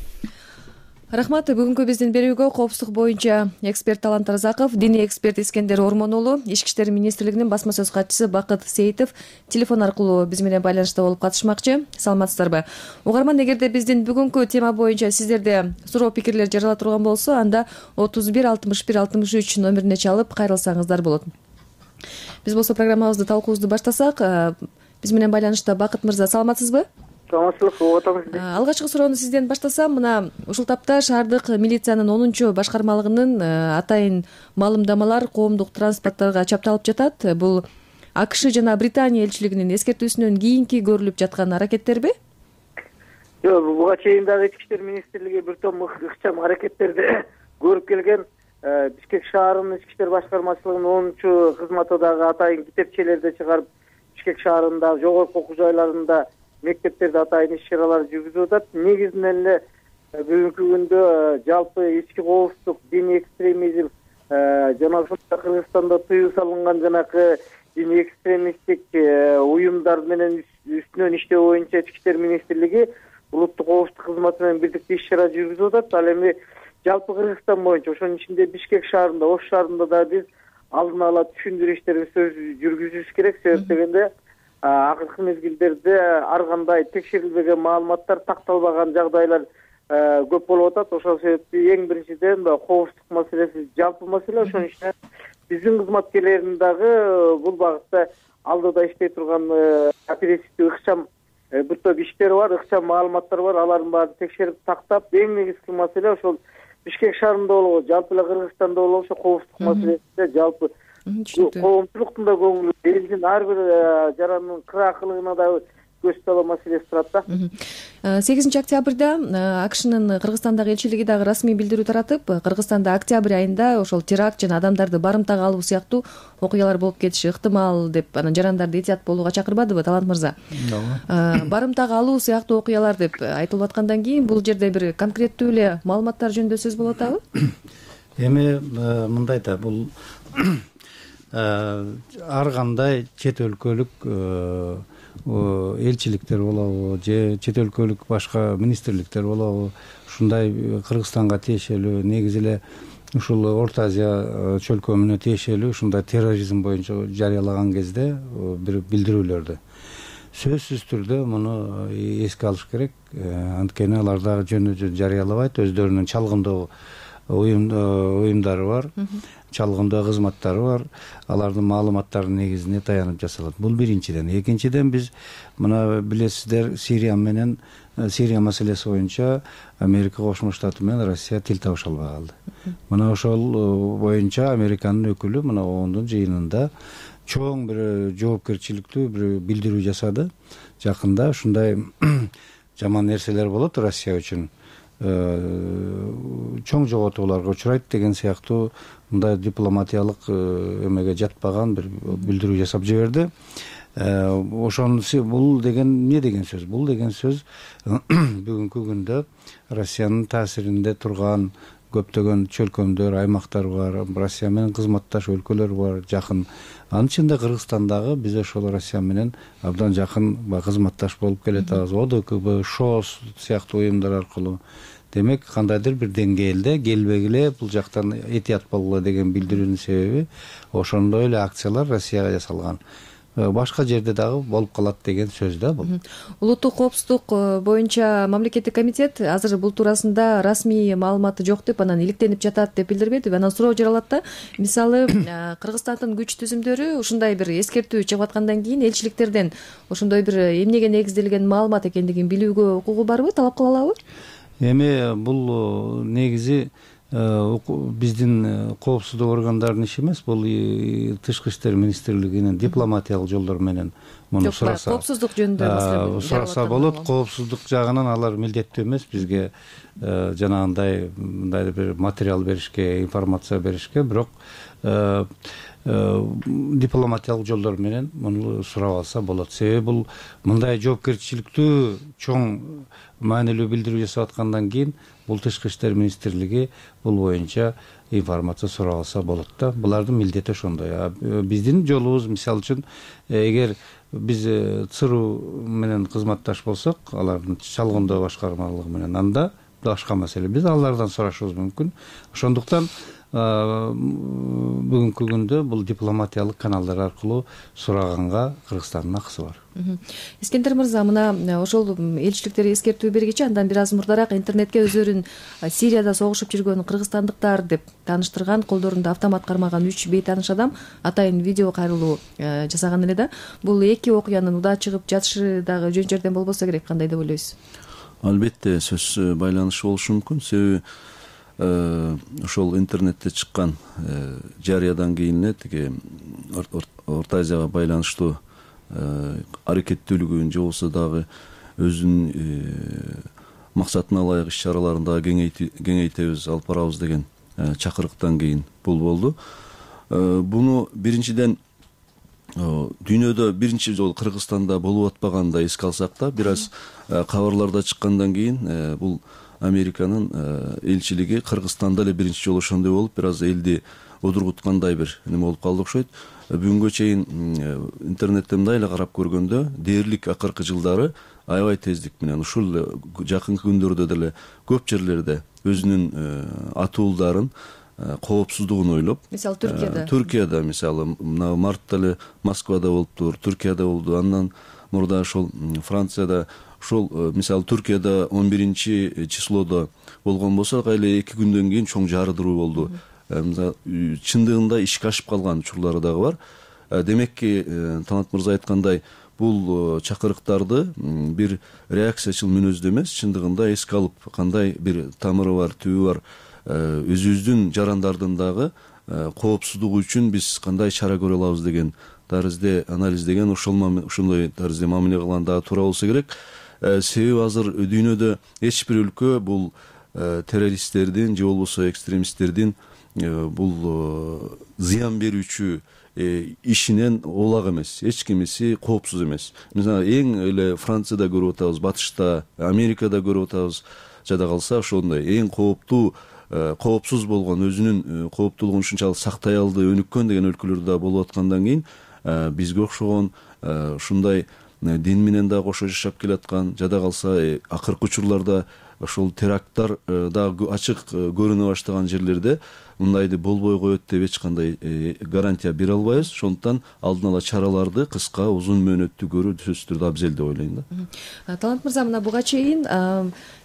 [SPEAKER 20] Рахмат. Бүгүнкү биздин берүүгө коопсуздук боюнча эксперт Талант Разаков, диний эксперт Искендер Ормон уулу, Ички иштер министрлигинин басма сөз катчысы Бакыт Сейитов телефон аркылуу биз менен байланышта болуп катышмакчы. Саламатсыздарбы? Угарман, эгерде биздин бүгүнкү тема боюнча сиздерде суроо пикирлер жарала турган болсо, анда отуз бир алтымыш бир алтымыш үч номерине чалып кайрылсаңыздар болот. Биз болсо программабызды талкуубузду баштасак, биз менен байланышта Бакыт мырза, саламатсызбы?
[SPEAKER 21] Саламатсызбы, угуп атабыз.
[SPEAKER 20] Алгачкы суроону сизден баштасам, мына ушул тапта шаардык милициянын онунчу башкармалыгынын атайын маалымдамалар коомдук транспортторго чапталып жатат. Бул АКШ жана Британия элчилигинин эскертүүсүнөн кийинки көрүлүп жаткан аракеттерби?
[SPEAKER 21] Жок, буга чейин дагы Ички иштер министрлиги бир том ыкчам аракеттерди көрүп келген. Бишкек шаарынын Ички иштер башкармачылыгынын онунчу кызматы дагы атайын китепчелерди чыгарып, Бишкек шаарында жогорку окуу жайларында мектептерде атайын иш-чаралар жүргүзүп атат. Негизинен эле бүгүнкү күндө жалпы ички коопсуздук, диний экстремизм жана Кыргызстанда тыюу салынган жанакы диний экстремисттик уюмдар менен үстүнөн иштөө боюнча Ички иштер министрлиги улуттук коопсуздук кызматы менен бирдикте иш-чара жүргүзүп атат. Ал эми жалпы Кыргызстан боюнча, ошонун ичинде Бишкек шаарында, Ош шаарында да биз алдын ала түшүндүрүү иштерин сөз жүргүзүш керек. Себеп дегенде акыркы мезгилдерде ар кандай текшерилбеген маалыматтар, такталбаган жагдайлар көп болуп атат. Ошол себептен эң биринчиден коопсуздук маселеси жалпы маселе. Ошонун ичинде биздин кызматкерлердин дагы бул багытта алдыда иштей турган оперативдүү ыкчам бир топ иштери бар, ыкчам маалыматтар бар. Алардын баарын текшерип тактап, эң негизги маселе ошол Бишкек шаарында болобу, жалпы эле Кыргызстанда болобу, ошо коопсуздук маселесинде жалпы коомчулуктун да көңүлү, элдин ар бир жарандын кыраакылыгына да көз салуу маселеси турат да.
[SPEAKER 20] сегизинчи октябрда АКШнын Кыргызстандагы элчилиги дагы расмий билдирүү таратып, Кыргызстанда октябрь айында ошол теракт жана адамдарды барымтага алуу сыяктуу окуялар болуп кетиши ыктымал деп анан жарандарды этият болууга чакырбадыбы, Талант мырза? Барымтага алуу сыяктуу окуялар деп айтылып аткандан кийин бул жерде бир конкреттүү эле маалыматтар жөнүндө сөз болуп атабы?
[SPEAKER 7] Эми мындай да, бул ар кандай чет өлкөлүк элчиликтер болобу же чет өлкөлүк башка министрликтер болобу, ушундай Кыргызстанга тиешелүү, негизи эле ушул Орто Азия чөлкөмүнө тиешелүү ушундай терроризм боюнча жарыялаган кезде бир билдирүүлөрдү сөзсүз түрдө муну эске алыш керек. Анткени алар дагы жөнү жөн жарыялабайт, өздөрүнүн чалгындоо уюмдары бар, чалгындоо кызматтары бар, алардын маалыматтарынын негизине таянып жасалат. Бул биринчиден. Экинчиден, биз мына билесиздер, Сирия менен Сирия маселеси боюнча Америка Кошмо Штаты менен Россия тил табыша албай калды. Мына ошол боюнча Американын өкүлү мына ондун жыйынында чоң бир жоопкерчиликтүү бир билдирүү жасады. Жакында ушундай жаман нерселер болот Россия үчүн, чоң жоготууларга учурайт деген сыяктуу мындай дипломатиялык эмеге жатпаган бир билдирүү жасап жиберди. Ошонусу бул деген эмне деген сөз? Бул деген сөз бүгүнкү күндө Россиянын таасиринде турган көптөгөн чөлкөмдөр, аймактар бар, Россия менен кызматташ өлкөлөр бар, жакын. Анын ичинде Кыргызстандагы биз ошол Россия менен абдан жакын кызматташ болуп келатабыз. ОДКБ, ШОС сыяктуу уюмдар аркылуу. Демек, кандайдыр бир деңгээлде келбегиле бул жактан этият болгула деген билдирүүнүн себеби ошондой эле акциялар Россияга жасалган. Башка жерде дагы болуп калат деген сөз да бул.
[SPEAKER 20] Улуттук коопсуздук боюнча мамлекеттик комитет азыр бул туурасында расмий маалыматы жок деп, анан иликтенип жатат деп билдирбедиби? Анан суроо жаралат да. Мисалы, Кыргызстандын күч түзүмдөрү ушундай бир эскертүү чыгып аткандан кийин элчиликтерден ошондой бир эмнеге негизделген маалымат экендигин билүүгө укугу барбы, талап кыла алабы?
[SPEAKER 7] Эми бул негизи биздин коопсуздук органдарынын иши эмес, бул Тышкы иштер министрлигинин дипломатиялык жолдор менен муну сураса.
[SPEAKER 20] Коопсуздук жөнүндө маселе
[SPEAKER 7] сураса болот. Коопсуздук жагынан алар милдеттүү эмес бизге жанагындай мындай бир материал беришке, информация беришке, бирок дипломатиялык жолдор менен муну сурап алса болот. Себеби бул мындай жоопкерчиликтүү чоң маанилүү билдирүү жасап аткандан кийин бул Тышкы иштер министрлиги бул боюнча информация сурап алса болот да. Булардын милдети ошондой. Биздин жолубуз, мисалы үчүн, эгер биз ЦРУ менен кызматташ болсок, алардын чалгындоо башкармалыгы менен, анда башка маселе. Биз алардан сурашыбыз мүмкүн. Ошондуктан бүгүнкү күндө бул дипломатиялык каналдар аркылуу сураганга Кыргызстандын акысы бар.
[SPEAKER 20] Искендер мырза, мына ошол элчиликтер эскертүү бергечи андан бир аз мурдараак интернетке өздөрүн Сирияда согушуп жүргөн кыргызстандыктар деп тааныштырган, колдорунда автомат кармаган үч бейтааныш адам атайын видео кайрылуу жасаган эле да. Бул эки окуянын удаа чыгып жатышы дагы жөн жерден болбосо керек, кандай деп ойлойсуз?
[SPEAKER 22] Албетте сөз байланышы болушу мүмкүн. Себеби ошол интернетте чыккан жарыядан кийин эле тиги Орто Азияга байланыштуу аракеттүүлүгүн же болбосо дагы өзүнүн максатына ылайык иш чараларын дагы кеңейтебиз, алып барабыз деген чакырыктан кийин бул болду. Буну биринчиден дүйнөдө биринчи жолу Кыргызстанда болуп атпаганда эске алсак да, бир аз кабарларда чыккандан кийин бул Американын элчилиги Кыргызстанда эле биринчи жолу ошондой болуп, бир аз элди одургуткандай бир неме болуп калды окшойт. Бүгүнгө чейин интернетте мындай эле карап көргөндө, дээрлик акыркы жылдары аябай тездик менен ушул жакынкы күндөрдө деле көп жерлерде өзүнүн атуулдарын коопсуздугун ойлоп,
[SPEAKER 20] мисалы Түркияда
[SPEAKER 22] Түркияда мисалы мына мартта эле Москвада болуптур, Түркияда болду, андан мурда ошол Францияда, ошол мисалы Түркияда он биринчи числодо болгон болсо, эле эки күндөн кийин чоң жардыруу болду. чындыгында ишке ашып калган учурлары дагы бар. Демекки Талант мырза айткандай, бул чакырыктарды бир реакциячыл мүнөздө эмес, чындыгында эске алып, кандай бир тамыры бар, түбү бар, өзүбүздүн жарандардын дагы коопсуздугу үчүн биз кандай чара көрө алабыз деген тарызде анализдеген, ошондой тарызде мамиле кылган дагы туура болсо керек. Себеби азыр дүйнөдө эч бир өлкө бул террористтердин же болбосо экстремисттердин бул зыян берүүчү ишинен оолак эмес, эч кимиси коопсуз эмес. Мисалы эң эле Францияда көрүп атабыз, батышта, Америкада көрүп атабыз. Жада калса ошондой эң кооптуу, коопсуз болгон, өзүнүн кооптуулугун ушунчалык сактай алды, өнүккөн деген өлкөлөр да болуп аткандан кийин бизге окшогон ушундай дин менен да кошо жашап келаткан, жада калса акыркы учурларда ошол теракттар дагы ачык көрүнө баштаган жерлерде мындайды болбой коет деп эч кандай гарантия бере албайбыз. Ошондуктан алдын ала чараларды кыска, узун мөөнөттүү көрүү сөзсүз түрдө абзел деп ойлойм да.
[SPEAKER 20] Талант мырза, мына буга чейин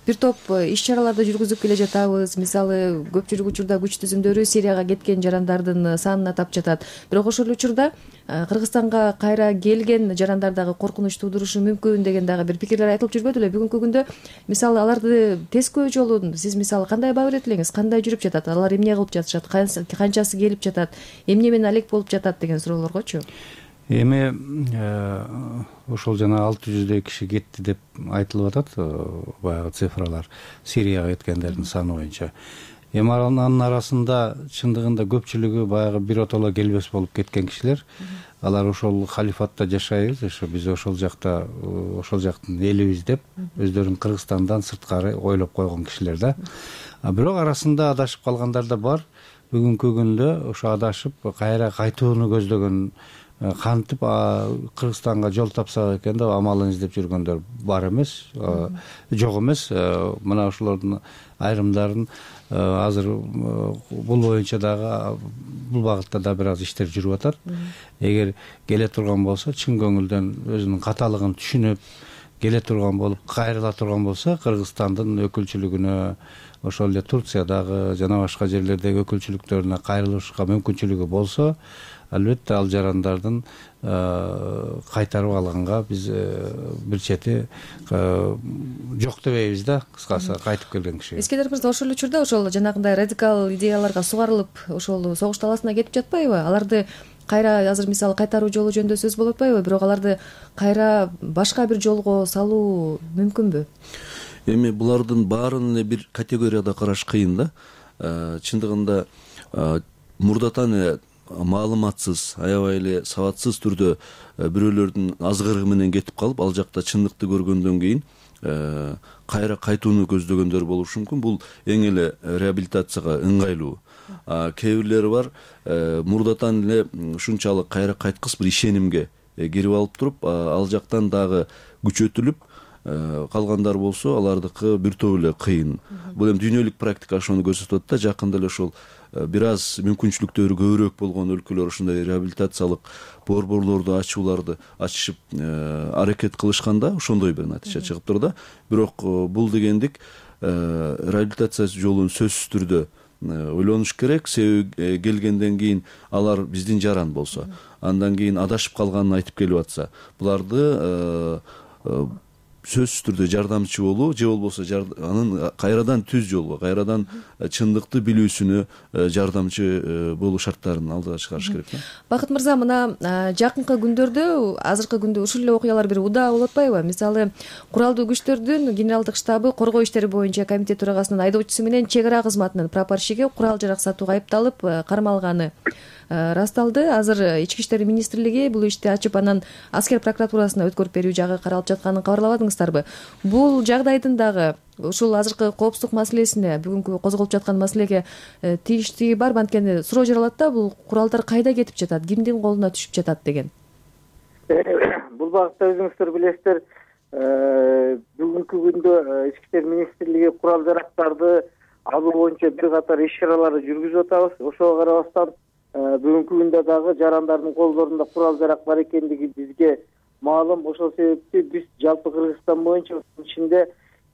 [SPEAKER 20] бир топ иш чараларды жүргүзүп келе жатабыз. Мисалы, көпчүлүк учурда күч түзүмдөрү Сирияга кеткен жарандардын санын атап жатат. Бирок ошол учурда Кыргызстанга кайра келген жарандар дагы коркунуч туудурушу мүмкүн деген дагы бир пикирлер айтылып жүрбөдү беле? Бүгүнкү күндө мисалы аларды тескөө жолун сиз мисалы кандай баа берет элеңиз? Кандай жүрүп жатат? Алар эмне кылып жатышат? Канчасы келип жатат? Эмне менен алек болуп жатат деген суроолоргочу?
[SPEAKER 7] Эми ошол жана алты жүздөй киши кетти деп айтылып атат, баягы цифралар, Сирияга кеткендердин саны боюнча. Эми анын арасында чындыгында көпчүлүгү баягы биротоло келбес болуп кеткен кишилер. Алар ошол халифатта жашайбыз, ошо биз ошол жакта, ошол жактын элибиз деп өздөрүн Кыргызстандан сырткары ойлоп койгон кишилер да. Бирок арасында адашып калгандар да бар. Бүгүнкү күндө ошо адашып кайра кайтууну көздөгөн, кантип Кыргызстанга жол тапсак экен деп амалын издеп жүргөндөр бар эмес, жок эмес. Мына ошолордун айрымдарын азыр бул боюнча дагы, бул багытта да бир аз иштер жүрүп атат. Эгер келе турган болсо, чын көңүлдөн өзүнүн каталыгын түшүнүп келе турган болуп, кайрыла турган болсо, Кыргызстандын өкүлчүлүгүнө, ошол эле Турциядагы жана башка жерлердеги өкүлчүлүктөрүнө кайрылышка мүмкүнчүлүгү болсо, албетте ал жарандардын кайтарып алганга биз бир чети жок дебейбиз да, кыскасы кайтып келген кишиге.
[SPEAKER 20] Искендер мырза, ошол учурда ошол жанагындай радикал идеяларга сугарылып, ошол согуш таласына кетип жатпайбы? Аларды кайра азыр мисалы кайтаруу жолу жөнүндө сөз болуп атпайбы? Бирок аларды кайра башка бир жолго салуу мүмкүнбү?
[SPEAKER 22] Эми булардын баарын эле бир категорияда караш кыйын да. Чындыгында мурдатан эле маалыматсыз, аябай эле сабатсыз түрдө бирөөлөрдүн азгырыгы менен кетип калып, ал жакта чындыкты көргөндөн кийин кайра кайтууну көздөгөндөр болушу мүмкүн. Бул эң эле реабилитацияга ыңгайлуу. Кээ бирлери бар, мурдатан эле ушунчалык кайра кайткыс бир ишенимге кирип алып туруп, ал жактан дагы күчөтүлүп калгандар болсо, алардыкы бир топ эле кыйын. Бул эми дүйнөлүк практика ошону көрсөтүп атат да. Жакында эле ошол бир аз мүмкүнчүлүктөрү көбүрөөк болгон өлкөлөр ошондой реабилитациялык борборлорду ачууларды ачышып аракет кылышканда ошондой бир натыйжа чыгып тур да. Бирок бул дегендик реабилитация жолун сөзсүз түрдө ойлонуш керек. Себеби келгенден кийин алар биздин жаран болсо, андан кийин адашып калганын айтып келип атса, буларды сөзсүз түрдө жардамчы болуу же болбосо анын кайрадан түз жолго, кайрадан чындыкты билүүсүнө жардамчы болуу шарттарын алдыга чыгарыш керек.
[SPEAKER 20] Бакыт мырза, мына жакынкы күндөрдө, азыркы күндө ушул эле окуялар бир удаа болуп атпайбы? Мисалы, куралдуу күчтөрдүн генералдык штабы коргоо иштери боюнча комитет төрагасынын айдоочусу менен чек ара кызматынын прапорщиги курал жарак сатууга айыпталып кармалганы расталды. Азыр Ички иштер министрлиги бул ишти ачып, анан аскер прокуратурасына өткөрүп берүү жагы каралып жатканын кабарлабадыңыздарбы? Бул жагдайдын дагы ушул азыркы коопсуздук маселесине, бүгүнкү козголуп жаткан маселеге тийиштиги барбы? Анткени суроо жаралат да, бул куралдар кайда кетип жатат, кимдин колуна түшүп жатат деген.
[SPEAKER 21] Бул багытта өзүңүздөр билесиздер, бүгүнкү күндө Ички иштер министрлиги курал жарактарды алуу боюнча бир катар иш чараларды жүргүзүп атабыз. Ошого карабастан бүгүнкү күндө дагы жарандардын колдорунда курал жарак бар экендиги бизге маалым. Ошол себепти биз жалпы Кыргызстан боюнча ичинде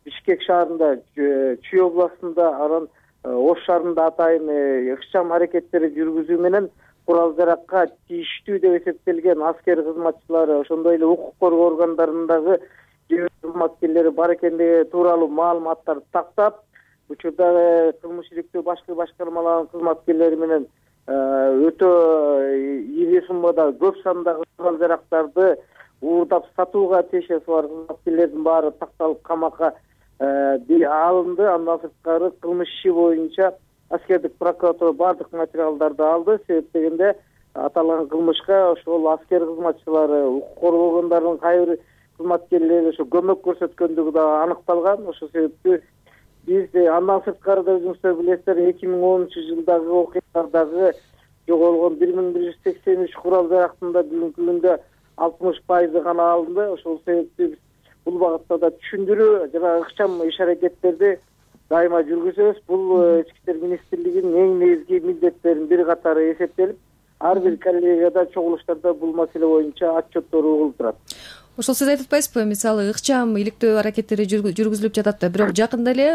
[SPEAKER 21] Бишкек шаарында, Чүй областында, анан ош шаарында атайын ыкчам аракеттери жүргүзүү менен курал жаракка тийиштүү деп эсептелген аскер кызматчылары ошондой эле укук коргоо органдарындагы кызматкерлери бар экендиги тууралуу маалыматтарды тактап, учурдагы кылмыш иликтөө башкы башкармаларынын кызматкерлери менен өтө ири суммада көп сандагы курал жарактарды уурдап сатууга тиешеси бар кызматкерлердин баары такталып камакка алынды. Андан сырткары кылмыш иши боюнча аскердик прокуратура баардык материалдарды алды. Себеп дегенде аталган кылмышка ошол аскер кызматчылары, укук коргоо органдарынын кайыр бир кызматкерлери ошо көмөк көрсөткөндүгү да аныкталган. Ошол себептүү биз андан сырткары да өзүңүздөр билесиздер, эки миң онунчу жылдагы окуялардагы жоголгон бир миң бир жүз сексен үч курал жарактында бүгүнкү күндө алтымыш пайызы гана алынды. Ошол себептүү биз бул багытта да түшүндүрүү жана ыкчам иш аракеттерди дайыма жүргүзөбүз. Бул ички иштер министрлигинин эң негизги милдеттеринин бир катары эсептелип, ар бир коллегияда чогулуштарда бул маселе боюнча отчеттор угулуп турат.
[SPEAKER 20] Ошол сиз айтып атпайсызбы, мисалы ыкчам иликтөө аракеттери жүргүзүлүп жатат да, бирок жакында эле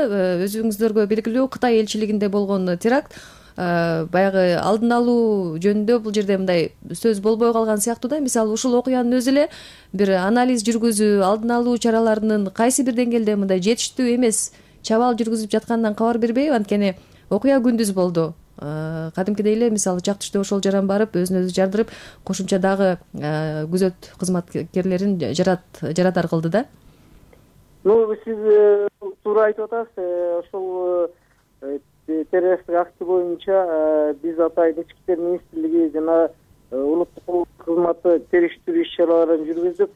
[SPEAKER 20] өзүңүздөргө белгилүү Кытай элчилигинде болгон теракт баягы алдын алуу жөнүндө бул жерде мындай сөз болбой калган сыяктуу да. Мисалы ушул окуянын өзү эле бир анализ жүргүзүү, алдын алуу чараларынын кайсы бир деңгээлде мындай жетиштүү эмес чабаал жүргүзүлүп жатканынан кабар бербейби? Анткени окуя күндүз болду. Кадимкидей эле мисалы чак түштө ошол жаран барып өзүн өзү жардырып, кошумча дагы күзөт кызматкерлерин жарат жарадар кылды да.
[SPEAKER 21] Ну, сиз туура айтып атасыз. Ошол террористтик акты боюнча биз атайын ички иштер министрлиги жана улуттук кызматы териштирүү иш чараларын жүргүздүк.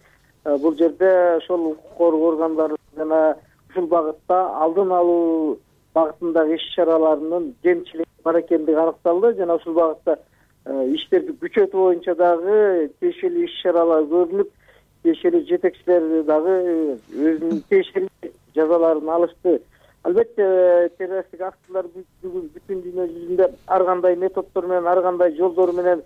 [SPEAKER 21] Бул жерде ошол укук коргоо органдары жана ушул багытта алдын алуу багытындагы иш чараларынын кемчилиги бар экендиги аныкталды. Жана ушул багытта иштерди күчөтүү боюнча дагы тиешелүү иш чаралар көрүлүп, тиешелүү жетекчилер дагы өзүнүн тиешелүү жазаларын алышты. Албетте террористтик актылар бүтүн дүйнө жүзүндө ар кандай методдор менен, ар кандай жолдор менен,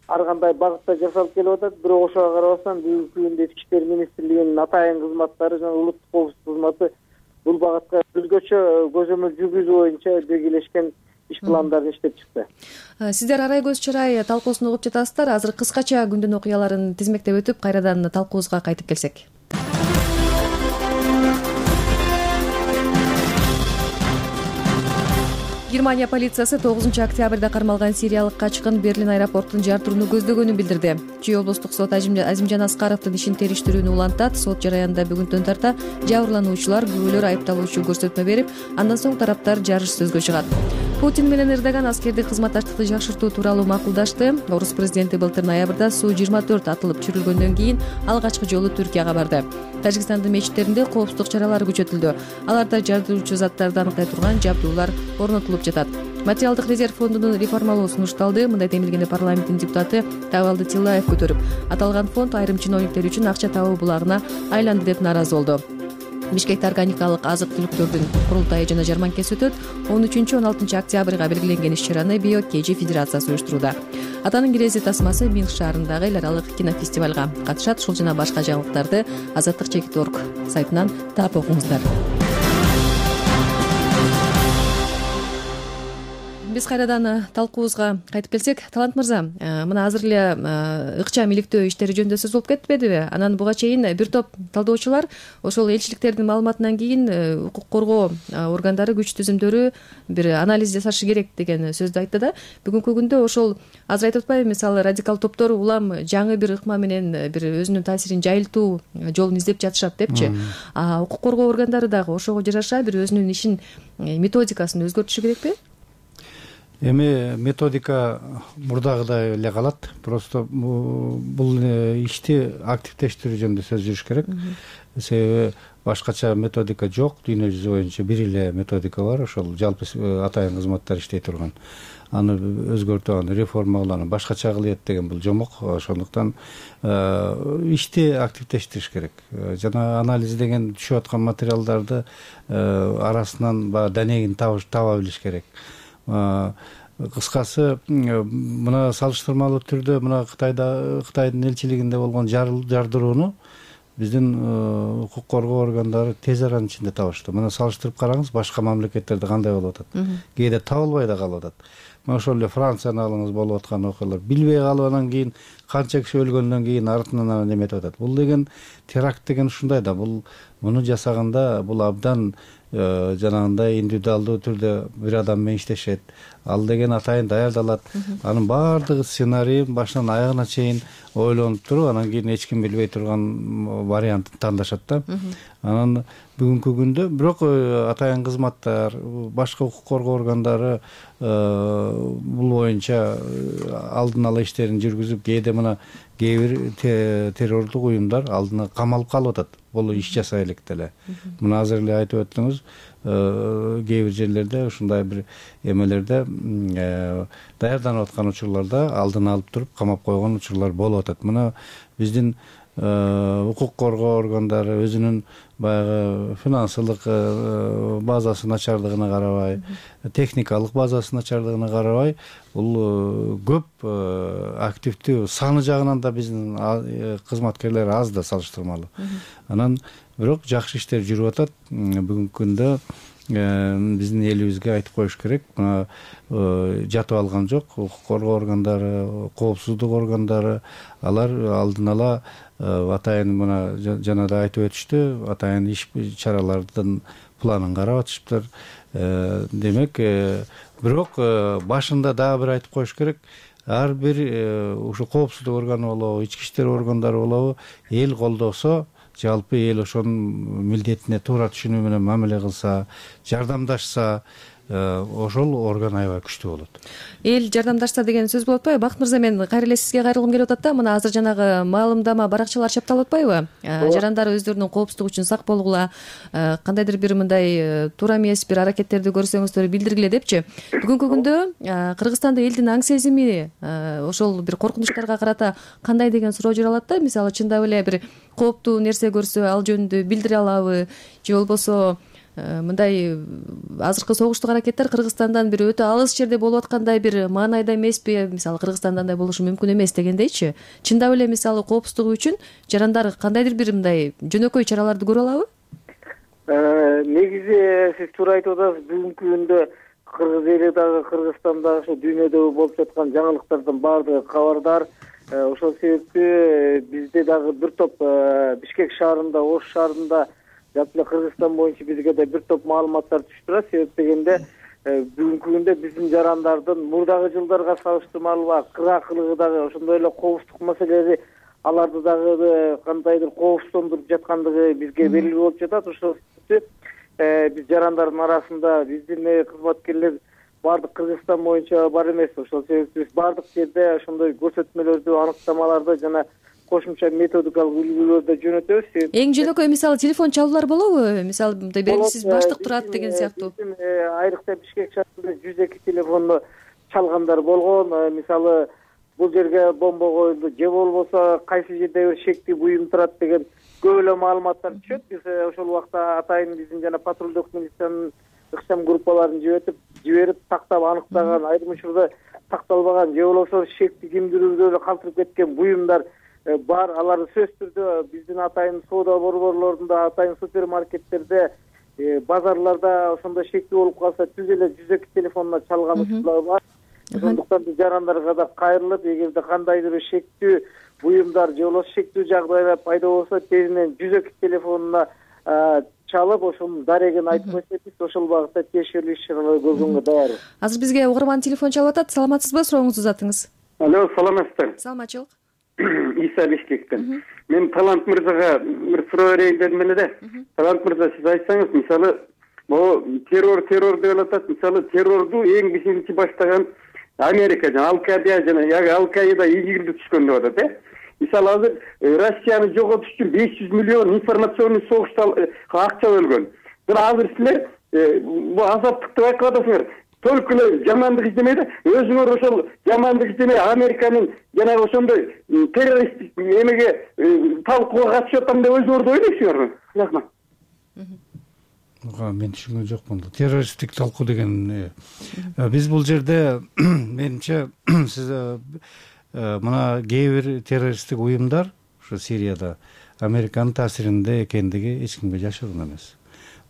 [SPEAKER 21] ар кандай багытта жасалып келип атат. Бирок ошого карабастан бүгүнкү күндө ички иштер министрлигинин атайын кызматтары жана улуттук коопсуздук кызматы бул багытка өзгөчө көзөмөл жүргүзүү боюнча белгилешкен иш пландарын иштеп чыкты.
[SPEAKER 20] Сиздер арай көз чырай талкуусун угуп жатасыздар. Азыр кыскача күндүн окуяларын тизмектеп өтүп, кайрадан талкуубузга кайтып келсек. Германия полициясы тогузунчу октябрда кармалган сириялык качкын Берлин аэропортун жартырууну көздөгөнүн билдирди. Чүй облустук сот Азимжан Аскаровдун ишин териштирүүнү улантат. Сот жараянында бүгүнтөн тарта жабырлануучулар, күбөлөр айыпталуучу көрсөтмө берип, андан соң тараптар жарыш сөзгө чыгат. Путин менен Эрдоган аскердик кызматташтыкты жакшыртуу тууралуу макулдашты. Орус президенти былтыр ноябрда Су жыйырма төрт атылып чүрүлгөндөн кийин алгачкы жолу Түркияга барды. Тажикстандын мечиттеринде коопсуздук чаралары күчөтүлдү. Аларда жардыруучу заттарды аныклай турган жабдуулар орнотулуп жатат. Материалдык резерв фондунун реформалоо сунушталды. Мындай демилгени парламенттин депутаты Табалды Тилаев көтөрүп, аталган фонд айрым чиновниктер үчүн акча табуу булагына айланды деп нааразы болду. Бишкекте органикалык азык-түлүктөрдүн курултайы жана жарманкеси өтөт. он үчүнчү он алтынчы октябрга белгиленген иш чараны Био Кежи Федерациясы уюштурууда. Атанын кирези тасмасы Минск шаарындагы эл аралык кинофестивалга катышат. Ушул жана башка жаңылыктарды азаттык чекит точка орг сайтынан таап окуңуздар. Биз кайрадан талкуубузга кайтып келсек, Талант мырза, мына азыр эле ыкчам иликтөө иштери жөнүндө сөз болуп кетпедиби? Анан буга чейин бир топ талдоочулар ошол элчиликтердин маалыматынан кийин укук коргоо органдары, күч түзүмдөрү бир анализ жасашы керек деген сөздү айтты да. Бүгүнкү күндө ошол азыр айтып атпайбы, мисалы радикал топтор улам жаңы бир ыкма менен бир өзүнүн таасирин жайылтуу жолун издеп жатышат депчи. А укук коргоо органдары дагы ошого жараша бир өзүнүн ишин методикасын өзгөртүшү керекпи?
[SPEAKER 7] Эми методика мурдагыдай эле калат. Просто бул ишти активдештирүү жөнүндө сөз жүрүш керек. Себеби башкача методика жок. Дүйнө жүзү боюнча бир эле методика бар. Ошол жалпы атайын кызматтар иштей турган. Аны өзгөртүп, аны реформаланып, башкача кылыйт деген бул жомок. Ошондуктан ишти активдештириш керек. Жана анализ деген түшүп аткан материалдарды арасынан баягы данегин таба билиш керек. Кыскасы, мына салыштырмалуу түрдө мына Кытайда Кытайдын элчилигинде болгон жардырууну биздин укук коргоо органдары тез аранын ичинде табышты. Мына салыштырып караңыз, башка мамлекеттерде кандай болуп атат. Кээде табылбай да калып атат. Мына ошол эле Францияны алыңыз, болуп аткан окуялар. Билбей калып анан кийин канча киши өлгөндөн кийин артынан неметип атат. Бул деген теракт деген ушундай да. Бул муну жасаганда бул абдан жанагындай индивидуалдуу түрдө бир адам менен иштешет. Ал деген атайын даярдалат. Анын баардыгы сценарийин башынан аягына чейин ойлонуп туруп, анан кийин эч ким билбей турган вариантын тандашат да. Анан бүгүнкү күндө бирок атайын кызматтар, башка укук коргоо органдары бул боюнча алдын ала иштерин жүргүзүп, кээде мына кээ бир террордук уюмдар алдына камалып калып атат. Бул иш жасай элек деле. Мына азыр эле айтып өттүңүз, кээ бир жерлерде ушундай бир эмелерде даярданып аткан учурларда алдын алып туруп камап койгон учурлар болуп атат. Мына биздин укук коргоо органдары өзүнүн баягы финансылык базасы начардыгына карабай, техникалык базасы начардыгына карабай, бул көп активдүү саны жагынан да биздин кызматкерлер аз да салыштырмалуу. Анан бирок жакшы иштер жүрүп атат. Бүгүнкү күндө биздин элибизге айтып коюш керек, мына жатып алган жок. Укук коргоо органдары, коопсуздук органдары, алар алдын ала атайын мына жана да айтып өтүштү, атайын иш чаралардын планын карап атышыптыр. Демек, бирок башында дагы бир айтып коюш керек, ар бир ушу коопсуздук органы болобу, ички иштер органдары болобу, эл колдосо, жалпы эл ошонун милдетине туура түшүнүү менен мамиле кылса, жардамдашса, ошол орган аябай күчтүү болот.
[SPEAKER 20] Эл жардамдашса деген сөз болуп атпайбы? Бакыт мырза, мен кайра эле сизге кайрылгым келип атат да. Мына азыр жанагы маалымдама баракчалар чапталып атпайбы? Жарандар өздөрүнүн коопсуздугу үчүн сак болгула, кандайдыр бир мындай туура эмес бир аракеттерди көрсөңүздөр билдиргиле депчи. Бүгүнкү күндө Кыргызстанда элдин аң сезими ошол бир коркунучтарга карата кандай деген суроо жаралат да. Мисалы, чындап эле бир кооптуу нерсе көрсө ал жөнүндө билдире алабы, же болбосо мындай азыркы согуштук аракеттер Кыргызстандан бир өтө алыс жерде болуп аткандай бир маанайда эмеспи? Мисалы, Кыргызстанда андай болушу мүмкүн эмес дегендейчи. Чындап эле мисалы коопсуздугу үчүн жарандар кандайдыр бир мындай жөнөкөй чараларды көрө алабы?
[SPEAKER 21] Негизи сиз туура айтып атасыз. Бүгүнкү күндө кыргыз эли дагы, Кыргызстанда ошо дүйнөдө болуп жаткан жаңылыктардын баардыгы кабардар. Ошол себептүү бизде дагы бир топ Бишкек шаарында, Ош шаарында, жалпы эле Кыргызстан боюнча бизге да бир топ маалыматтар түшүп турат. Себеп дегенде бүгүнкү күндө биздин жарандардын мурдагы жылдарга салыштырмалуу кыргакылыгы дагы, ошондой эле коопсуздук маселеси аларды дагы кандайдыр коопсуздондуруп жаткандыгы бизге белгилүү болуп жатат. Ошол себептүү биз жарандардын арасында биздин кызматкерлер баардык Кыргызстан боюнча бар эмес. Ошол себептүү биз баардык жерде ошондой көрсөтмөлөрдү, аныктамаларды жана кошумча методикалык үлгүлөрдү жөнөтөбүз.
[SPEAKER 20] Эң жөнөкөй мисалы телефон чалуулар болобу? Мисалы, мындай белгисиз баштык турат деген сыяктуу.
[SPEAKER 21] Айрыкча Бишкек шаарында жүз эки телефонду чалгандар болгон. Мисалы, бул жерге бомба коюлду, же болбосо кайсы жерде бир шектүү буюм турат деген көп эле маалыматтар түшөт. Биз ошол убакта атайын биздин жана патрулдук милициянын ыкчам группаларын жиберип, жиберип тактап аныктаган, айрым учурда такталбаган, же болбосо шекти кимдирүүдө эле калтырып кеткен буюмдар бар. Алар сөзсүз түрдө биздин атайын соода борборлорунда, атайын супермаркеттерде, базарларда ошондой шектүү болуп калса, түз эле жүз эки телефонуна чалган учурлар бар. Ошондуктан биз жарандарга да кайрылып, эгерде кандайдыр шектүү буюмдар же болбосо шектүү жагдайлар пайда болсо, тезинен жүз эки телефонуна чалып, ошонун дарегин айтып койсок, ошол багытта тиешелүү иш-чаралар көргөнгө даярбыз.
[SPEAKER 20] Азыр бизге угарман телефон чалып атат. Саламатсызбы? Сурооңузду узатыңыз.
[SPEAKER 9] Алло, саламатсыздар.
[SPEAKER 20] Саламатчылык.
[SPEAKER 9] Иса Бишкектен. Мен Талант мырзага бир суроо берейин дедим эле да. Талант мырза, сиз айтсаңыз, мисалы, могу террор террор деп атат. Мисалы, террорду эң биринчи баштаган Америка жана Ал-Каида жана Ал-Каида ийгилди түшкөн деп атат, э? Мисалы, азыр Россияны жоготуш үчүн беш жүз миллион информационный согушта акча бөлгөн. Бирок азыр силер бул азаптыкты байкап атасыңар. Только эле жамандык издемей да, өзүңөр ошол жамандык издемей Американын жанагы ошондой террористтик эмеге талкууга катышып атам деп өзүңөрдү ойлойсуңарбы? Рахмат.
[SPEAKER 7] Мен түшүнгөн жокмун. Террористтик талкуу деген биз бул жерде менимче сиз мына кээ бир террористтик уюмдар ошо Сирияда Американын таасиринде экендиги эч кимге жашыруун эмес.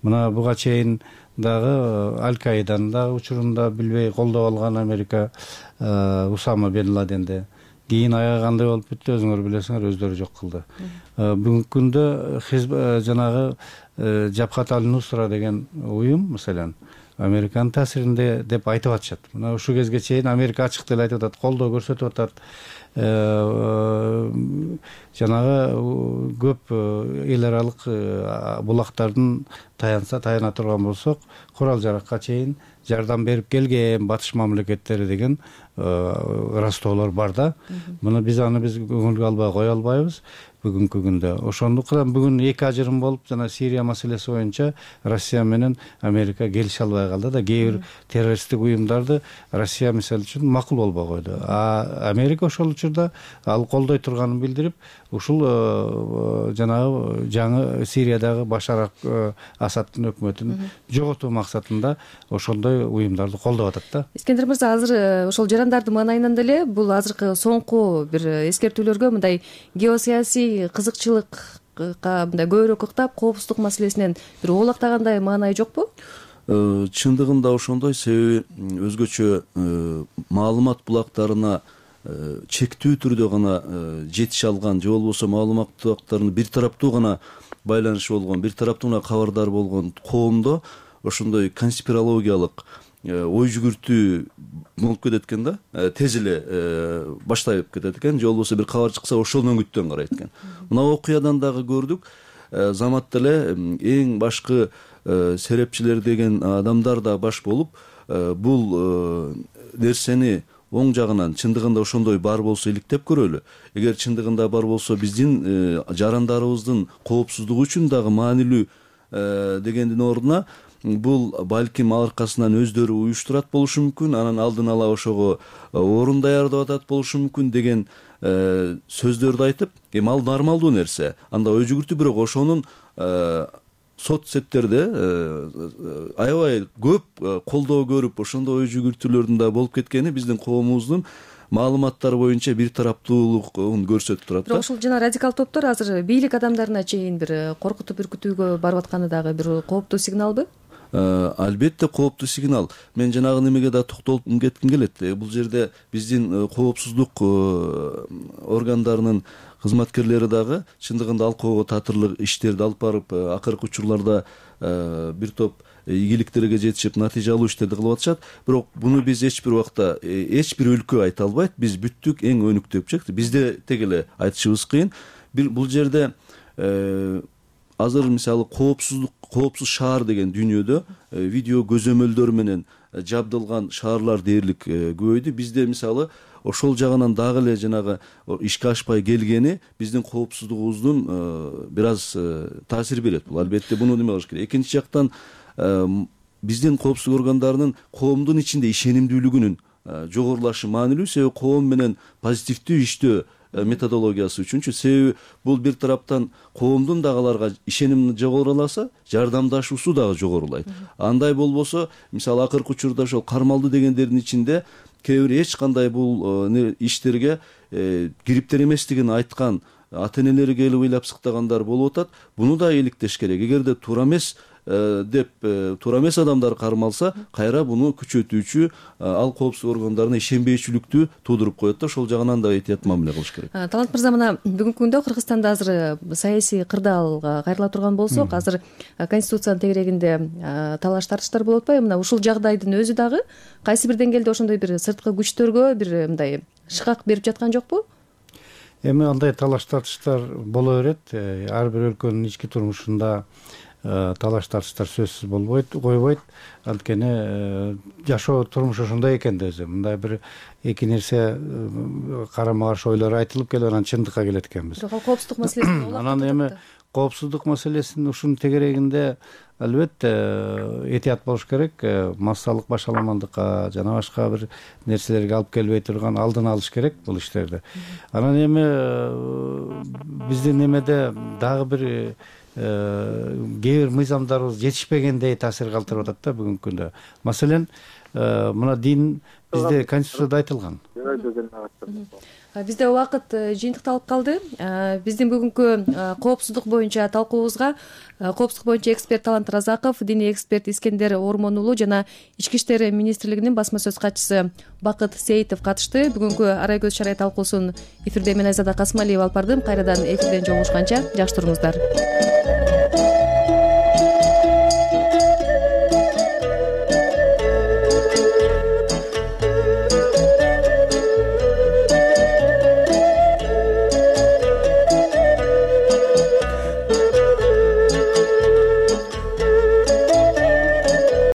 [SPEAKER 7] Мына буга чейин дагы Аль-Каиданын дагы учурунда билбей колдоп алган Америка Усама бен Ладенди. Кийин аягы кандай болуп бүттү өзүңөр билесиңер, өздөрү жок кылды. Бүгүнкү күндө жанагы Жабхат аль-Нусра деген уюм маселен Американын таасиринде деп айтып атышат. Мына ушул кезге чейин Америка ачык деле айтып атат, колдоо көрсөтүп атат. Жанагы көп эл аралык булактардын таянса таяна турган болсок, курал жаракка чейин жардам берип келген батыш мамлекеттери деген ырастоолор бар да. Муну биз аны биз көңүлгө албай кое албайбыз бүгүнкү күндө. Ошондуктан бүгүн эки ажырым болуп, жана Сирия маселеси боюнча Россия менен Америка келише албай калды да. Кээ бир террористтик уюмдарды Россия мисалы үчүн макул болбой койду. А Америка ошол учурда ал колдой турганын билдирип, ушул жанагы жаңы Сириядагы Башар Асадтын өкмөтүн жоготуу максатында ошондой уюмдарды колдоп атат да.
[SPEAKER 20] Искендер мырза, азыр ошол жарандардын маанайынан деле бул азыркы соңку бир эскертүүлөргө мындай геосаясий кызыкчылыкка мындай көбүрөөк ыктап, коопсуздук маселесинен бир оолактагандай маанай жокпу?
[SPEAKER 22] Чындыгында ошондой, себеби өзгөчө маалымат булактарына чектүү түрдө гана жетише алган же болбосо маалымат булактарынын бир тараптуу гана байланышы болгон, бир тараптуу гана кабардар болгон коомдо ошондой конспирологиялык ой жүгүртүү болуп кетет экен да, тез эле баштайып кетет экен, же болбосо бир кабар чыкса ошол өңүттөн карайт экен. Мына окуядан дагы көрдүк, заматта эле эң башкы серепчилер деген адамдар да баш болуп, бул нерсени оң жагынан чындыгында ошондой бар болсо иликтеп көрөлү. Эгер чындыгында бар болсо биздин жарандарыбыздын коопсуздугу үчүн дагы маанилүү дегендин ордуна бул балким аркасынан өздөрү уюштурат болушу мүмкүн, анан алдын ала ошого орун даярдап атат болушу мүмкүн деген сөздөрдү айтып, эми ал нормалдуу нерсе. Анда ой жүгүртүү, бирок ошонун сот сеттерде аябай көп колдоо көрүп, ошондой ой жүгүртүүлөрдүн да болуп кеткени биздин коомубуздун маалыматтар боюнча бир тараптуулугун көрсөтүп турат да.
[SPEAKER 20] Бирок ушул жана радикал топтор азыр бийлик адамдарына чейин бир коркутуп үркүтүүгө барып атканы дагы бир кооптуу сигналбы?
[SPEAKER 22] Албетте кооптуу сигнал. Мен жанагы немеге да токтолуп кетким келет. Бул жерде биздин коопсуздук органдарынын кызматкерлери дагы чындыгында алкоого татырлык иштерди алып барып, акыркы учурларда бир топ ийгиликтерге жетишип, натыйжа алуу иштерди кылып атышат. Бирок буну биз эч бир убакта эч бир өлкө айта албайт. Биз бүттүк, эң өнүктүк. Бизде тег эле айтышыбыз кыйын. Бул жерде азыр мисалы коопсуздук, коопсуз шаар деген дүйнөдө видео көзөмөлдөр менен жабдылган шаарлар дээрлик көбөйдү. Бизде мисалы ошол жагынан дагы эле жанагы ишке ашпай келгени биздин коопсуздугубуздун бир аз таасир берет. Бул албетте буну неме кылыш керек. Экинчи жактан биздин коопсуздук органдарынын коомдун ичинде ишенимдүүлүгүнүн жогорулашы маанилүү, себеби коом менен позитивдүү иштөө методологиясы үчүнчү. Себеби бул бир тараптан коомдун дагы аларга ишеними жогоруласа, жардамдашуусу дагы жогорулайт. Андай болбосо, мисалы акыркы учурда ошол кармалды дегендердин ичинде кээ бир эч кандай бул иштерге кириптер эместигин айткан ата энелери келип ыйлап сыктагандар болуп атат. Буну да иликтеш керек. Эгерде туура эмес деп туура эмес адамдар кармалса, кайра буну күчөтүүчү ал коопсуздук органдарына ишенбейчүлүктү туудуруп коет да, ошол жагынан да этият мамиле кылыш керек.
[SPEAKER 20] Талант мырза, мына бүгүнкү күндө Кыргызстанда азыр саясий кырдаалга кайрыла турган болсок, азыр конституциянын тегерегинде талаш тартыштар болуп атпайбы? Мына ушул жагдайдын өзү дагы кайсы бир деңгээлде ошондой бир сырткы күчтөргө бир мындай шыкак берип жаткан жокпу?
[SPEAKER 7] Эми андай талаш тартыштар боло берет. Ар бир өлкөнүн ички турмушунда талаш тартыштар сөзсүз болбойт, койбойт. Анткени жашоо турмуш ошондой экен да өзү. Мындай бир эки нерсе карама каршы ойлор айтылып келип, анан чындыкка келет экенбиз.
[SPEAKER 20] Бирок коопсуздук маселесин
[SPEAKER 7] анан эми коопсуздук маселесинин ушунун тегерегинде албетте этият болуш керек. Массалык башаламандыкка жана башка бир нерселерге алып келбей турган алдын алыш керек бул иштерди. Анан эми биздин немеде дагы бир кээ бир мыйзамдарыбыз жетишпегендей таасир калтырып атат да бүгүнкү күндө. Маселен, мына дин бизде конституцияда айтылган.
[SPEAKER 20] Бизде убакыт жыйынтыкталып калды. Биздин бүгүнкү коопсуздук боюнча талкуубузга коопсуздук боюнча эксперт Талант Разаков, диний эксперт Искендер Ормон уулу жана Ички иштер министрлигинин басма сөз катчысы Бакыт Сейитов катышты. Бүгүнкү Арай көз чарай талкуусун эфирде мен Айзада Касымалиева алып бардым. Кайрадан эфирден жолугушканча жакшы туруңуздар.